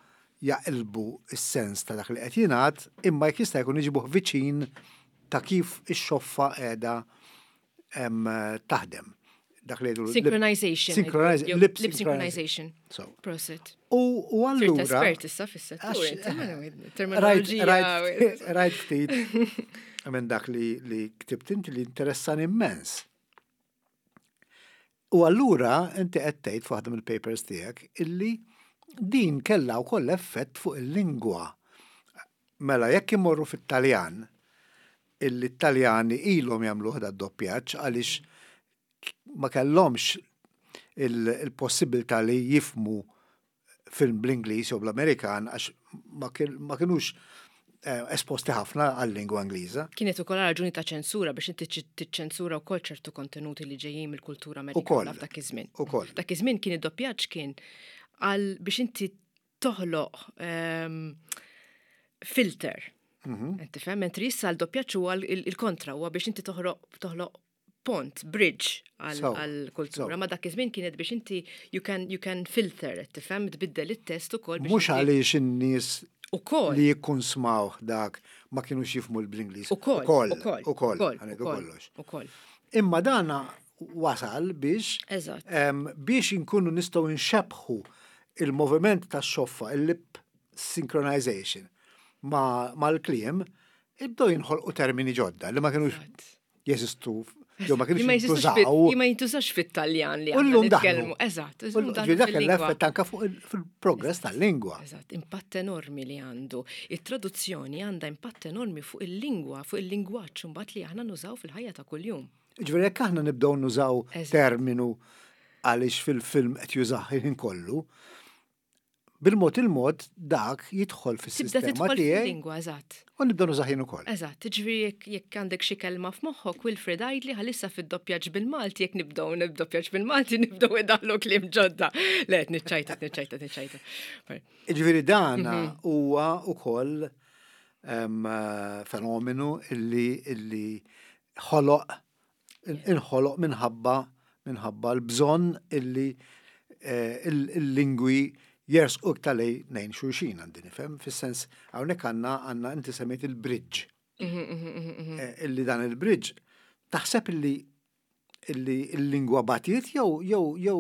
jaqilbu s-sens ta' dak li qed jingħad, imma jekk jista' jkun iġibuh viċin ta' kif ix-xoffa qiegħda em, taħdem. Dak li jgħidu Synchronization. Synchronize- jew lip lip synchronization. So. Prosit. U u Sirt allura. espert issa fis-settur. Għax- inti, ma- Rajt, Terminoloġija. rajt, rajt ftit minn dak li, li ktibt inti li interessan immens. U allura inti qed tgħid f'waħda mill-papers tiegħek illi din kellha wkoll effett fuq il-lingwa. Mela jekk imorru fit-Taljan, illi t-Taljani ilhom jagħmlu ħda d-doppjaġġ għaliex ma kellhomx il-possibilità li jifhmu film bl-Ingliż jew bl-Amerikan għax ma kienux eh, esposti ħafna għal-lingwa Ingliża. Kienet ukoll raġuni ta' ċensura biex inti tiċċensura wkoll ċertu kontenuti li ġejjin mill-kultura Amerikana f'dak iż-żmien. Ukoll. Dak iż-żmien kien id-doppjaġġ kien għal biex inti toħloq ehm, filter. Mhm. Inti fhem, mentri issa l-doppjaġġ huwa il-kontra, huwa biex inti toħroq toħloq pont, bridge għal-kultura. Ma dak iż-żmien kienet biex inti you can, you can filter, tifhem, tbiddel it-test ukoll. Mhux għaliex in-nies Ukoll. li jikkonsmaw dak ma kienux jifhmu bl-Ingliż. Ukoll. Ukoll. Ukoll. Ukoll. Ukoll. Ukoll. Imma dana wasal biex Eżatt. biex inkunu nistgħu nxebħu il-moviment tax-xoffa, il-lip synchronization ma' mal-kliem, ibdew jinħolqu termini ġodda li ma kienux jeżistu jew ma kienux jintużaw. Li ma jintużax fit-Taljan li U llum nitkellmu. Eżatt. Ġifieri dak l-effett anka fuq fil-progress tal-lingwa. Eżatt, impatt enormi li għandu. Il-traduzzjoni għandha impatt enormi fuq il-lingwa, fuq il-lingwaġġ mbagħad li aħna nużaw fil-ħajja ta' kuljum. Ġifieri jekk aħna nibdew nużaw terminu għaliex fil-film qed jużah il-ħin kollu, bil-mod il-mod dak jidħol fis-sistema tiegħi. Fil-lingwa, eżatt. U nibdew nużah jien ukoll. Eżatt, ġifieri jekk għandek xi kelma f'moħħok, Wilfred għidli ħalissa fid-doppjaġġ bil-Malti, jekk nibdew nibdoppjaġġ bil-Malti nibdew idaħlu kliem ġodda. Le, niċċajta, niċċajta, niċċajta. Ġifieri dan mhm. huwa ukoll fenomenu illi illi ħoloq inħoloq minħabba minħabba l-bżonn illi eh, il-lingwi jersqu iktar lejn xulxin għandi nifhem, fis-sens hawnhekk għandna għandna inti semmejt il-bridge. Mhm, mhm, mhm, Eh, Illi dan il-bridge taħseb illi illi il-lingwa batiet jew jew jew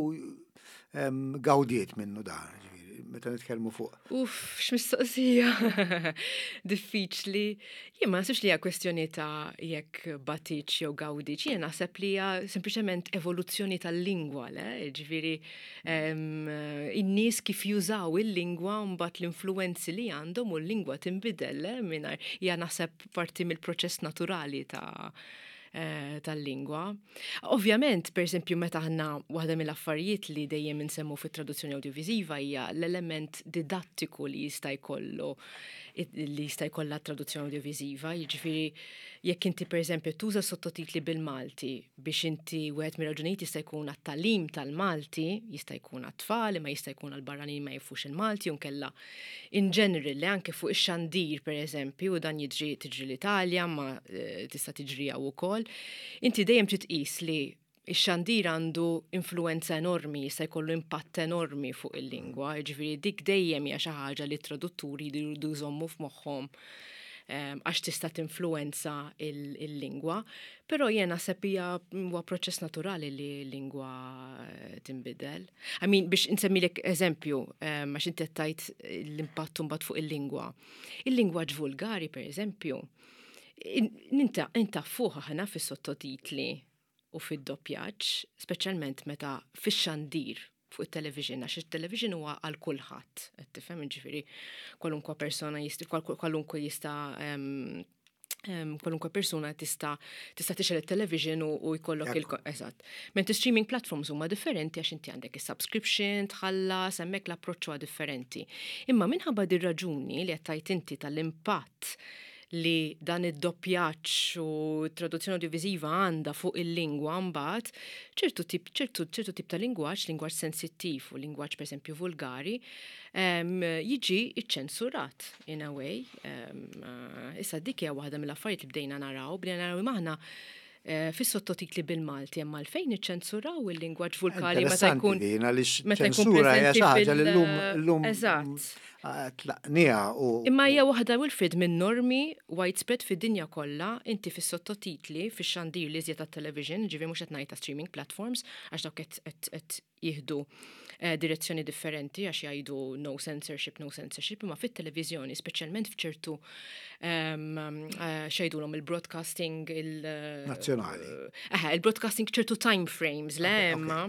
em, gawdiet minnu dan, ġifieri, meta nitkellmu fuq. Uff, x'mistoqsija. Diffiċli. Jien ma naħsibx li hija kwestjoni ta' jekk batietx jew gawdietx. Jien naħseb li hija sempliċement evoluzzjoni tal-lingwa, le? Ġifieri em, in-nies kif jużaw il-lingwa u mbagħad l-influenzi li għandhom u l-lingwa tinbidel, le? Mingħajr hija naħseb parti mill-proċess naturali ta' eh, tal-lingwa. Ovvjament, per esempio, meta aħna waħda mill-affarijiet li dejjem insemmu fit-traduzzjoni audiovisiva hija l-element didattiku li jista' jkollu li jista' jkollha traduzzjoni audiovisiva, jiġifieri jekk inti per eżempju tuża sottotitli bil-Malti biex inti wieħed mir-raġunijiet jista' jkun għat-tagħlim tal-Malti, jista' jkun għat-tfal, imma jista' jkun għal-barranin ma jafux il-Malti, u nkella in general li anke fuq ix-xandir per eżempju, u dan jiġri tiġri l-Italja, ma eh, tista' tiġri hawn ukoll. Inti dejjem trid tqis li ix-xandir għandu influenza enormi, jista' jkollu impatt enormi fuq il-lingwa, ġifieri dik dejjem hija xi ħaġa li t-tradutturi jridu jżommu f'moħħhom em, għax tista' tinfluenza il-lingwa, però jien naħseb hija huwa proċess naturali li l-lingwa eh, tinbidel. I mean, biex insemmilek eżempju, em, għax inti qed tgħid l-impatt mbagħad fuq il-lingwa. Il-lingwaġġ vulgari, per eżempju, ninta intaffuh aħna fis-sottotitli u fid-doppjaġġ, speċjalment meta fix-xandir fuq it-television, għax it-television huwa għal kulħadd, qed tifhem ġifieri kwalunkwe persona jista' kwalunkwe jista' em, em, kwalunkwe persuna tista' tista' tixgħel it-television u, u jkollok il eżatt. Mentri streaming platforms huma differenti għax inti għandek is-subscription, tħallas, hemmhekk l-approċċ huwa differenti. Imma minħabba dir raġuni li qed tgħid inti tal-impatt li dan id-doppjaġġ u traduzzjoni audiovisiva għandha fuq il-lingwa mbagħad ċertu tip ċertu ċertu tip ta' lingwaġġ, lingwaġġ sensittiv u lingwaġġ pereżempju vulgari, um, jiġi iċċensurat in a way. Um, issa dik hija waħda mill-affarijiet li bdejna naraw, bdejna naraw aħna Eh, fis-sottotitli bil-Malti hemm għalfejn iċċensuraw il-lingwaġġ vulgari meta jkun din għaliex ċensura hija xi ħaġa li llum llum Eżatt. Tlaqniha u Imma hija waħda, Wilfred, minn normi widespread fid-dinja kollha. Inti fis-sottotitli, fix-xandir li iżjed tat-television, ġifieri mhux qed ngħid ta' streaming platforms, għax dawk qed jieħdu eh, direzzjoni differenti għax jgħidu no censorship, no censorship, imma fit-televiżjoni, speċjalment f'ċertu um, uh, x'jgħidulhom il-broadcasting il- Nazzjonali. Eħe, il-broadcasting, ċertu time frames, le, imma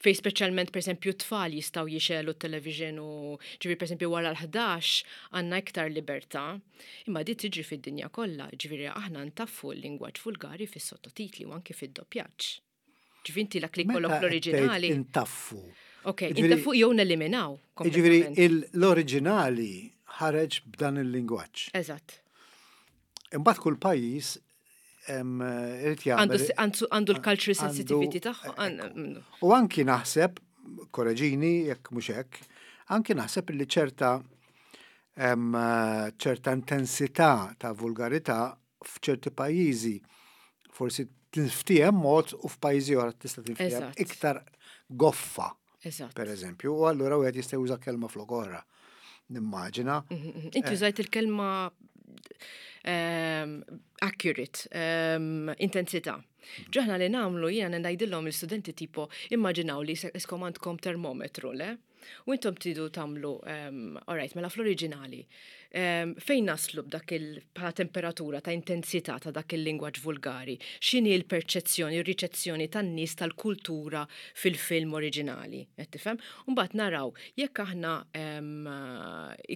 fej speċjalment, per esempio, tfal jistgħu jixegħlu t-television u ġifieri, per esempio, wara l-ħdax għandna iktar libertà, imma di tiġri fid-dinja kollha, ġifieri aħna ntaffu l-lingwaġġ vulgari fis-sottotitli u anke fid-doppjaġġ. Ġifieri inti dak li jkollok l-oriġinali. Intaffu. Ok, intaffu jew neliminaw. Ġifieri l-oriġinali ħareġ b'dan il-lingwaġġ. Eżatt. Imbagħad kull pajjiż irid jagħmel. Għandu l-cultural sensitivity tagħha. U anki naħseb, korreġini jekk mhux hekk, anki naħseb li ċerta ċerta intensità ta' vulgarità f'ċerti pajjiżi forsi tinftiehem mod u f'pajjiżi oħra tista' tinftiehem iktar goffa. Eżatt. Per eżempju, u allura wieħed jista' juża kelma flok oħra. Nimmaġina. Mhm, mhm. Inti użajt il-kelma um, accurate, um, intensità. Aħna li nagħmlu, jiena ngħidilhom il-studenti, tipo, immaġinaw li iskom għandkom termometru, le? U intom tridu tagħmlu, um, alright, mela fl-oriġinali, um, fejn naslu b'dak il bħala temperatura ta' intensità ta' dak il-lingwaġġ vulgari? X'inhi l-perċezzjoni, ir-riċezzjoni tan-nies tal-kultura fil-film oriġinali? Qed tifhem? Mbagħad naraw jekk aħna um,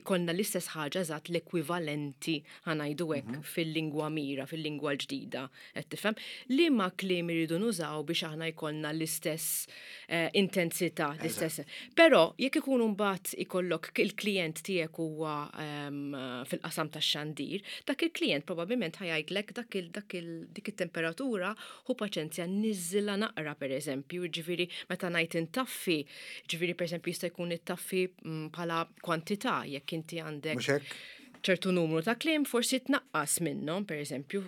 ikollna l-istess ħaġa eżatt, l-ekwivalenti, ħa ngħidu hekk, mm -hmm. fil-lingwa mira, fil-lingwa l-ġdida, qed tifhem? Liema kliem iridu nużaw biex aħna jkollna l-istess uh, intensità, l-istess. Però jekk ikun mbagħad ikollok il-klient tiegħek huwa um, fil-qasam tax-xandir, dak il-klient probabbilment ħa jgħidlek dak il dak il dik it-temperatura ħu paċenzja, niżżilha naqra, per eżempju, ġifieri meta ngħid intaffi, ġifieri per eżempju jista' jkun ittaffi mm, bħala kwantità jekk inti għandek ċertu numru ta' kliem, forsi tnaqqas minnhom, per eżempju,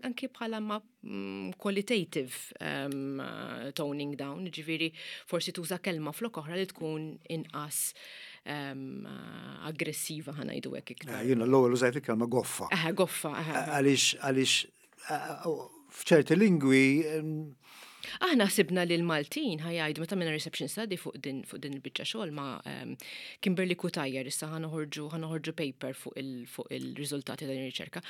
anki bħala ma mm, qualitative um, toning down, ġifieri forsi tuża kelma flok oħra li tkun inqas um, aggressiva, ħa ngħidu hekk iktar. Eh, jiena l-ewwel użajt il-kelma goffa. Eh, goffa. Għaliex għaliex f'ċerti lingwi Aħna sibna li l-Maltin ħa jgħidu, meta minna reception study fuq din fuq din il-biċċa xogħol ma' um, Kimberly Cutajar, issa ħa noħorġu ħa noħorġu paper fuq il fuq il-riżultati ta' din ir-riċerka.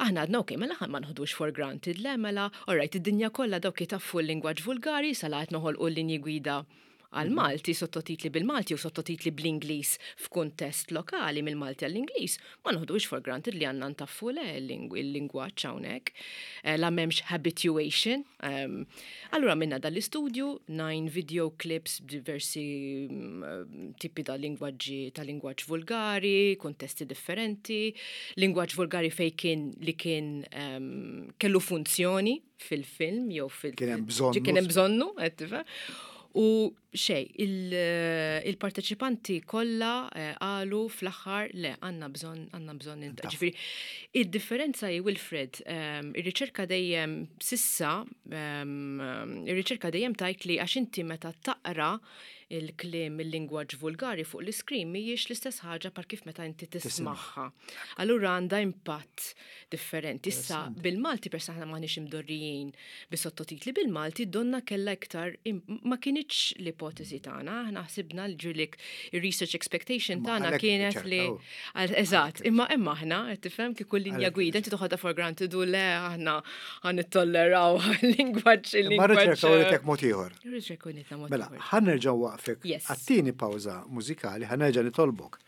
Aħna għadna, ok, mela ma nħodux for granted, le, mela, alright, id-dinja kollha dawk jitaffu l-lingwaġġ vulgari, sala qed noħolqu l-linji gwida għal-Malti, sottotitli bil-Malti u sottotitli bl-Ingliż f'kuntest lokali mill-Malti għall-Ingliż, ma noħdux for granted li għandna ntaffu le il-lingwaġġ hawnhekk. Eh, la m'hemmx habituation. Um, allura minna dal-istudju, nine video clips b'diversi mm, tipi ta' lingwaġġi, ta' lingwaġġ vulgari, kontesti differenti, lingwaġġ vulgari fej kien li kien um, kellu funzjoni fil-film jew fil- Kien hemm bżonnu. Kien hemm bżonnu, qed tifhem? U xej, il-parteċipanti kollha eh, qalu fl-aħħar, le, għandna bżonn għandna bżonn Ġifieri, id-differenza hi, Wilfred, ehm, ir-riċerka dejjem s'issa, ehm, ir-riċerka dejjem tgħid li għax inti meta taqra il-kliem, il-lingwaġġ vulgari fuq l-iskrin, mhijiex l-istess ħaġa par kif meta inti tismagħha. Allura għandha impatt differenti. Issa bil-Malti, per aħna m'aħniex imdorrijin bi sottotitli bil-Malti, donna kella iktar, ma kinitx l-ipotezi tagħna, aħna ħsibna l-ġulik il-research expectation tagħna kienet li eżatt, imma imma aħna qed tifhem kieku linja gwida inti toħodha for granted u le, aħna ħa nittolleraw il-lingwaġġ il-lingwaġġ. Ma riċerka uritek mod ieħor. Riċerka uritna mod Mela, ħa nerġgħu waqfek għat-tieni pawża mużikali, ħa nerġa' nitolbok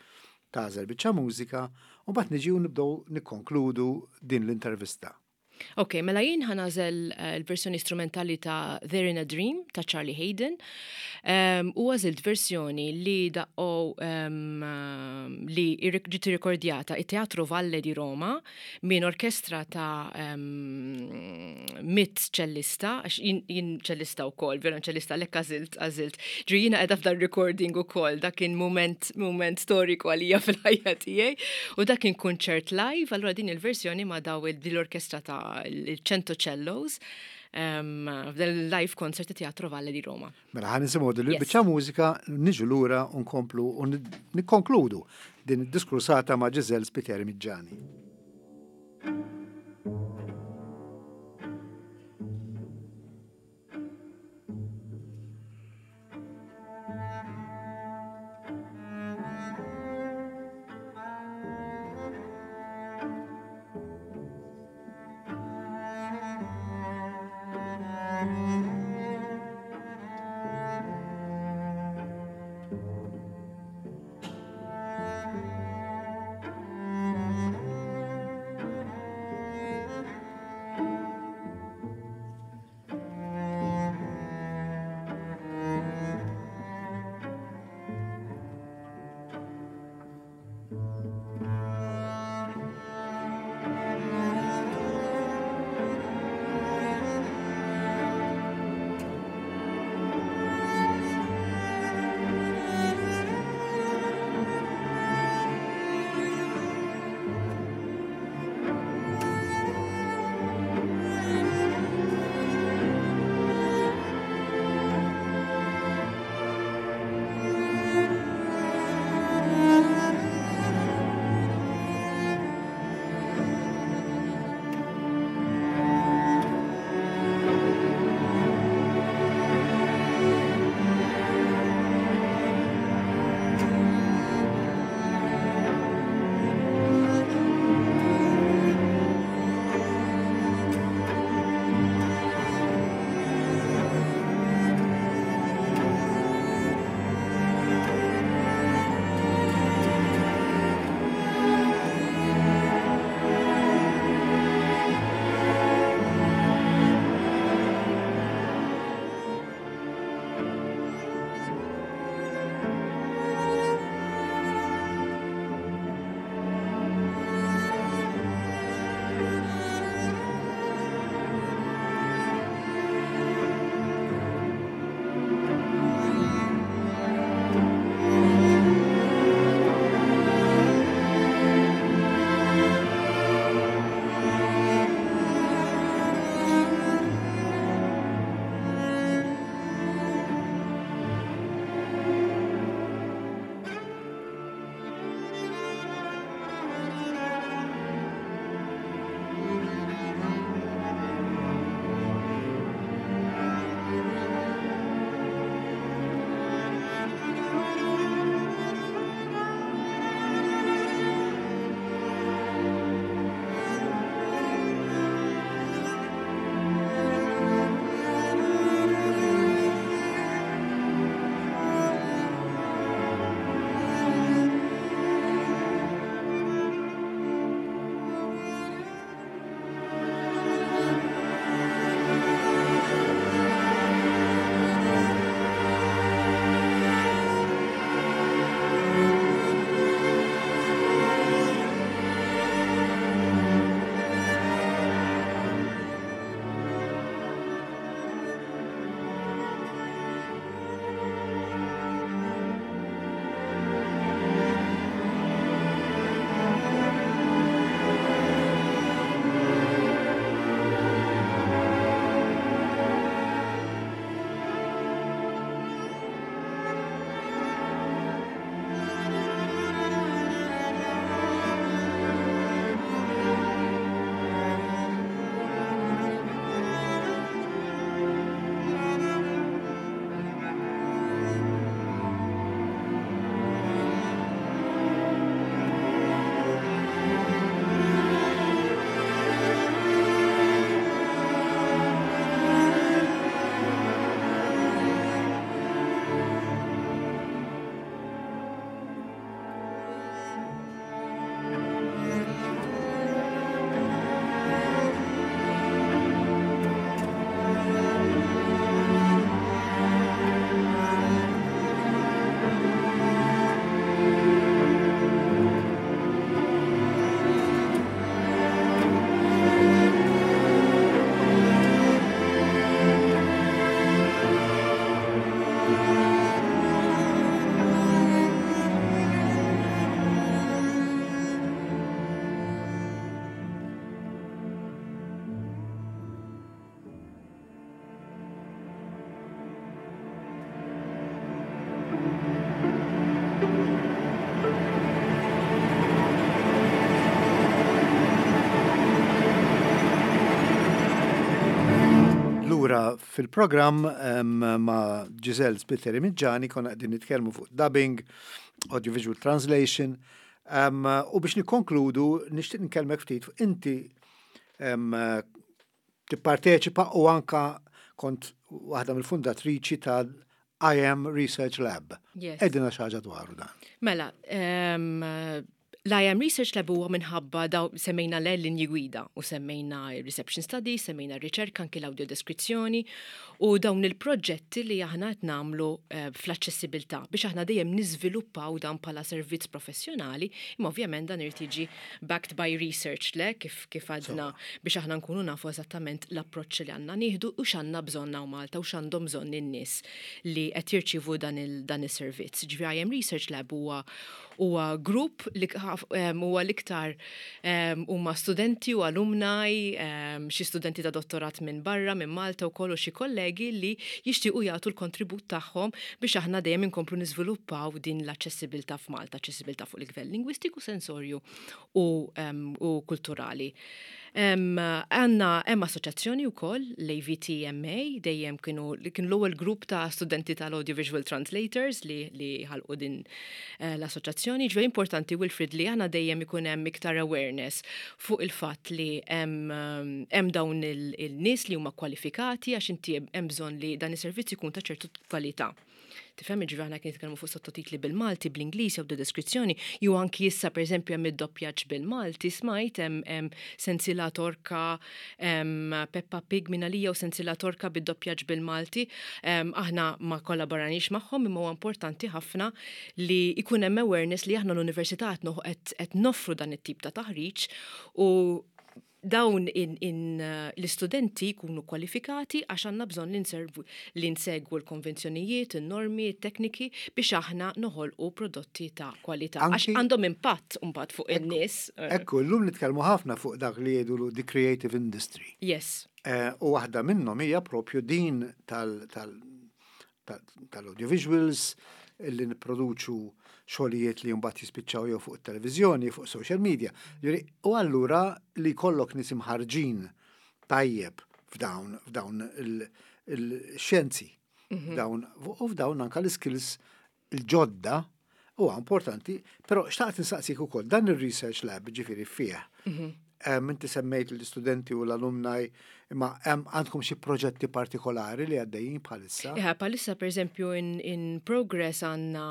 tagħżel biċċa mużika u mbagħad niġu nibdew nikkonkludu din l-intervista. Ok, mela jien ħa nagħżel eh, l-versjoni strumentali ta' They're in a Dream ta' Charlie Haden. Um, u għażilt versjoni li daqqu um, li ġiet rikordjata it-Teatro Valle di Roma minn orkestra ta' um, mitt ċellista, għax jien ċellista u kollox, violonċellista, lek għażilt, għażilt. Ġu jiena qiegħda f'dan recording u kollox, dak kien moment, moment storiku għalija fil-ħajja tiegħi. U dak kien kunċert live, allura din il-versjoni ma' daw l-orkestra ta' il-Cento Cellos f'dan il-live concert Teatro Valle di Roma. Mela ħa nisimgħu din il-biċċa mużika, niġu lura u nkomplu u nikkonkludu din id-diskursata ma' Giselle Spiteri Miggiani. Thank Fil-programm ma' Giselle Spiteri Miggiani konna qegħdin nitkellmu fuq dubbing, audiovisual translation, u biex nikkonkludu nixtieq nkellmek ftit fuq inti tipparteċipa u anka kont waħda mill-fundatriċi ta' I A M Research Lab. Yes. Għidilna xi ħaġa dwaru dan. Mela, l-I A M Research Lab huwa minħabba daw semmejna l-linji gwida u semmejna reception studies, semmejna riċerka, anki l-audio deskrizzjoni u dawn il-proġetti li aħna qed nagħmlu eh, fl-aċċessibilità biex aħna dejjem niżviluppaw dan bħala servizz professjonali, imma ovvjament dan irid jiġi backed by research, le kif kif għadna, biex aħna nkunu nafu eżattament l-approċċ li għandna nieħdu u x'għandna bżonn hawn Malta u x'għandhom bżonn in-nies li qed jirċievu dan il-servizz. Ġifieri I A M Research Lab huwa huwa grupp li huwa l-iktar huma studenti u alumni, xi studenti ta' dottorat minn barra, minn Malta wkoll, u xi kollegi li jixtiequ jagħtu l-kontribut tagħhom biex aħna dejjem inkomplu niżviluppaw din l-aċċessibilità f'Malta, aċċessibilità fuq il-livell lingwistiku, sensorju u, u kulturali. Għandna hemm assoċjazzjoni wkoll, l-A V T M A, dejjem kienu kienu l-ewwel grupp ta' studenti tal-Audiovisual Translators li, li ħalqu din eh, l-assoċjazzjoni. Ġifieri importanti, Wilfrid, li għandna dejjem ikun hemm iktar awareness fuq il-fatt li hemm dawn il-nies li huma kwalifikati, għax inti hemm bżonn li dan is-servizz ikun ta' ċertu kwalità. Tifhem, ġifieri aħna kien nitkellmu fuq sottotitli bil-Malti, bl-Ingliż jew deskrizzjoni, jew anki issa, pereżempju, hemm id-doppjaġġ bil-Malti, smajt hemm Sensila Torka, Peppa Pig minn u Sensila Torka bid-doppjaġġ bil-Malti. Aħna ma kollaboranix magħhom, imma huwa importanti ħafna li jkun hemm awareness li aħna l-università qed noffru dan it-tip ta' taħriġ u dawn in, in, uh, l-istudenti jkunu kwalifikati, għax għandna bżonn li nservu li nsegwu l-konvenzjonijiet, il-normi, il-tekniki biex aħna noħolqu prodotti ta' kwalità. Għax għandhom impatt mbagħad fuq in-nies. Ekku, llum nitkellmu ħafna fuq dak li jgħidu the creative industry. Yes. Eh, u waħda minnhom hija propju din tal-audiovisuals, illi nipproduċu xogħlijiet li mbagħad jispiċċaw jew fuq it-televiżjoni, fuq social media. U allura li jkollok nies imħarġin tajjeb f'dawn f'dawn il-xjenzi, mhm. dawn u f'dawn anka l-skills il-ġodda huwa importanti, però xtaqt insaqsik ukoll dan ir-research lab, ġifieri fih. Mhm. Inti semmejt l-istudenti u l-alumni, imma għandkom xi proġetti partikolari li għaddejjin bħalissa? Ja, bħalissa, per eżempju, in, in progress għandna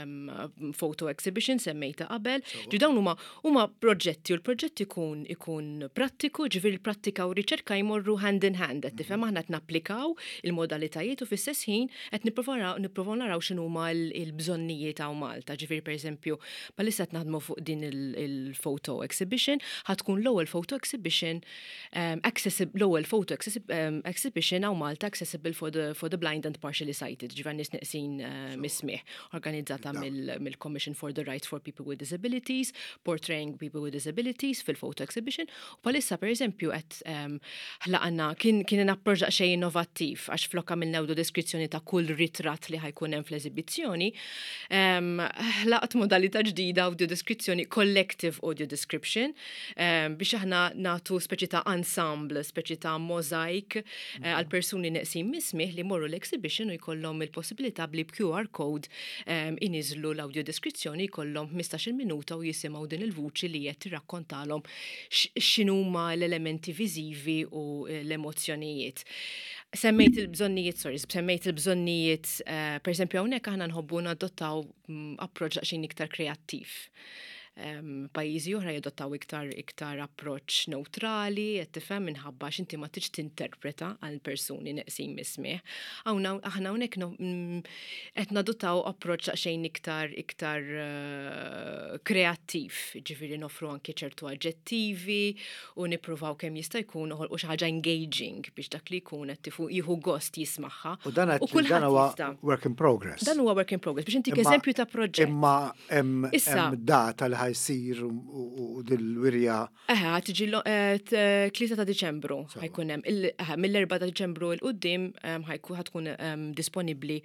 um, photo exhibition semmejta qabel. Ġi dawn huma huma proġetti u l-proġett ikun ikun prattiku, ġifieri l-prattika u riċerka jmorru hand in hand, qed tifhem, aħna qed napplikaw il-modalitajiet u fl-istess ħin qed nipprovaw naraw x'inhuma l-bżonnijiet hawn Malta. Ġifieri, per eżempju, bħalissa qed naħdmu fuq din il-photo exhibition, ħa tkun l-ewwel photo exhibition um, accessible, l-ewwel photo um, exhibition hawn Malta accessible for the, for the blind and partially sighted, ġifieri nies neqsin uh, mis-smigħ, organizzata mill-Commission for the Rights for People with Disabilities, portraying people with disabilities fil-photo exhibition. U bħalissa, per eżempju, qed um, ħlaqna, kien kien approċċ xejn innovattiv, għax flok għamilna deskrizzjoni ta' kull ritratt li ħa jkun hemm fl-eżibizzjoni, ħlaqt modalità ġdida, audio deskrizzjoni, collective audio description, biex aħna nagħtu speċi ta' ensemble, speċi ta' mosaic eh, għal persuni neqsin mis-smigħ li morru l-exhibition u jkollhom il-possibilità bli Q R code iniżlu l-audio deskrizzjoni, jkollhom ħmistax-il minuta u jisimgħu din il-vuċi li qed tirrakkontalhom x'inhuma l-elementi viżivi u l-emozzjonijiet. Semmejt il-bżonnijiet, sorry, semmejt il-bżonnijiet, uh, per esempio, hawnhekk aħna nħobbu nadottaw mm, approċċ daqsxejn iktar kreattiv. Um, pajjiżi oħra jadottaw iktar iktar approċċ neutrali, qed tifhem, minħabba x'inti ma tridx tinterpreta għal persuni neqsin mis-smigħ. Aħna hawnhekk mm, qed nadottaw approċċ daqsxejn iktar iktar uh, kreattiv, ġifieri nofru anke ċertu aġġettivi u nippruvaw kemm jista' jkun noħolqu xi ħaġa engaging biex dak li jkun qed jieħu gost jismagħha. U dan dan huwa work in progress. Dan huwa work in progress biex intik eżempju ta' proġett. Imma hemm data li ħa jsir u dil-wirja. Eħe, ħa tiġi eh, tlieta ta' Diċembru ħa jkun hemm. Mill-erbgħa ta' Diċembru 'l quddiem ħa tkun disponibbli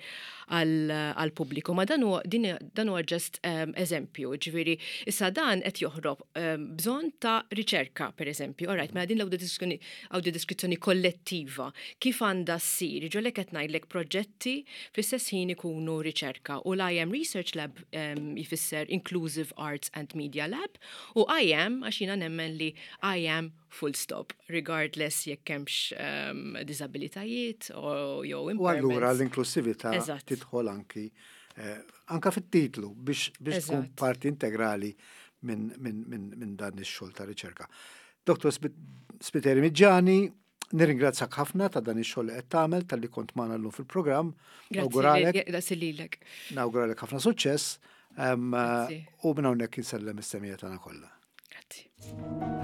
għal-pubbliku. Ma dan huwa just eżempju, ġifieri, issa dan qed joħrob bżonn ta' riċerka, per eżempju. Alright, mela din l-audiodeskrizzjoni kollettiva, kif għandha ssir? Ġolek qed ngħidlek proġetti fl-istess ħin ikunu riċerka u l-I A M Research Lab jfisser Inclusive Arts and Media Lab u I A M għax jiena nemmen li I am full stop, regardless jekk hemmx um, disabilitajiet u jew U allura l-inklusività tidħol anki eh, anka fit-titlu biex biex tkun parti integrali minn min, min, min dan ix-xogħol ta' riċerka. Doktor Spiteri Miggiani, nirringrazzjak ħafna ta' dan ix-xogħol li qed tagħmel, talli kont magħna llum fil-programm. Grazzi lilek. Nawguralek ħafna suċċess u minn hawnhekk insellem is-semmiegħa tagħna kollha. Grazzi.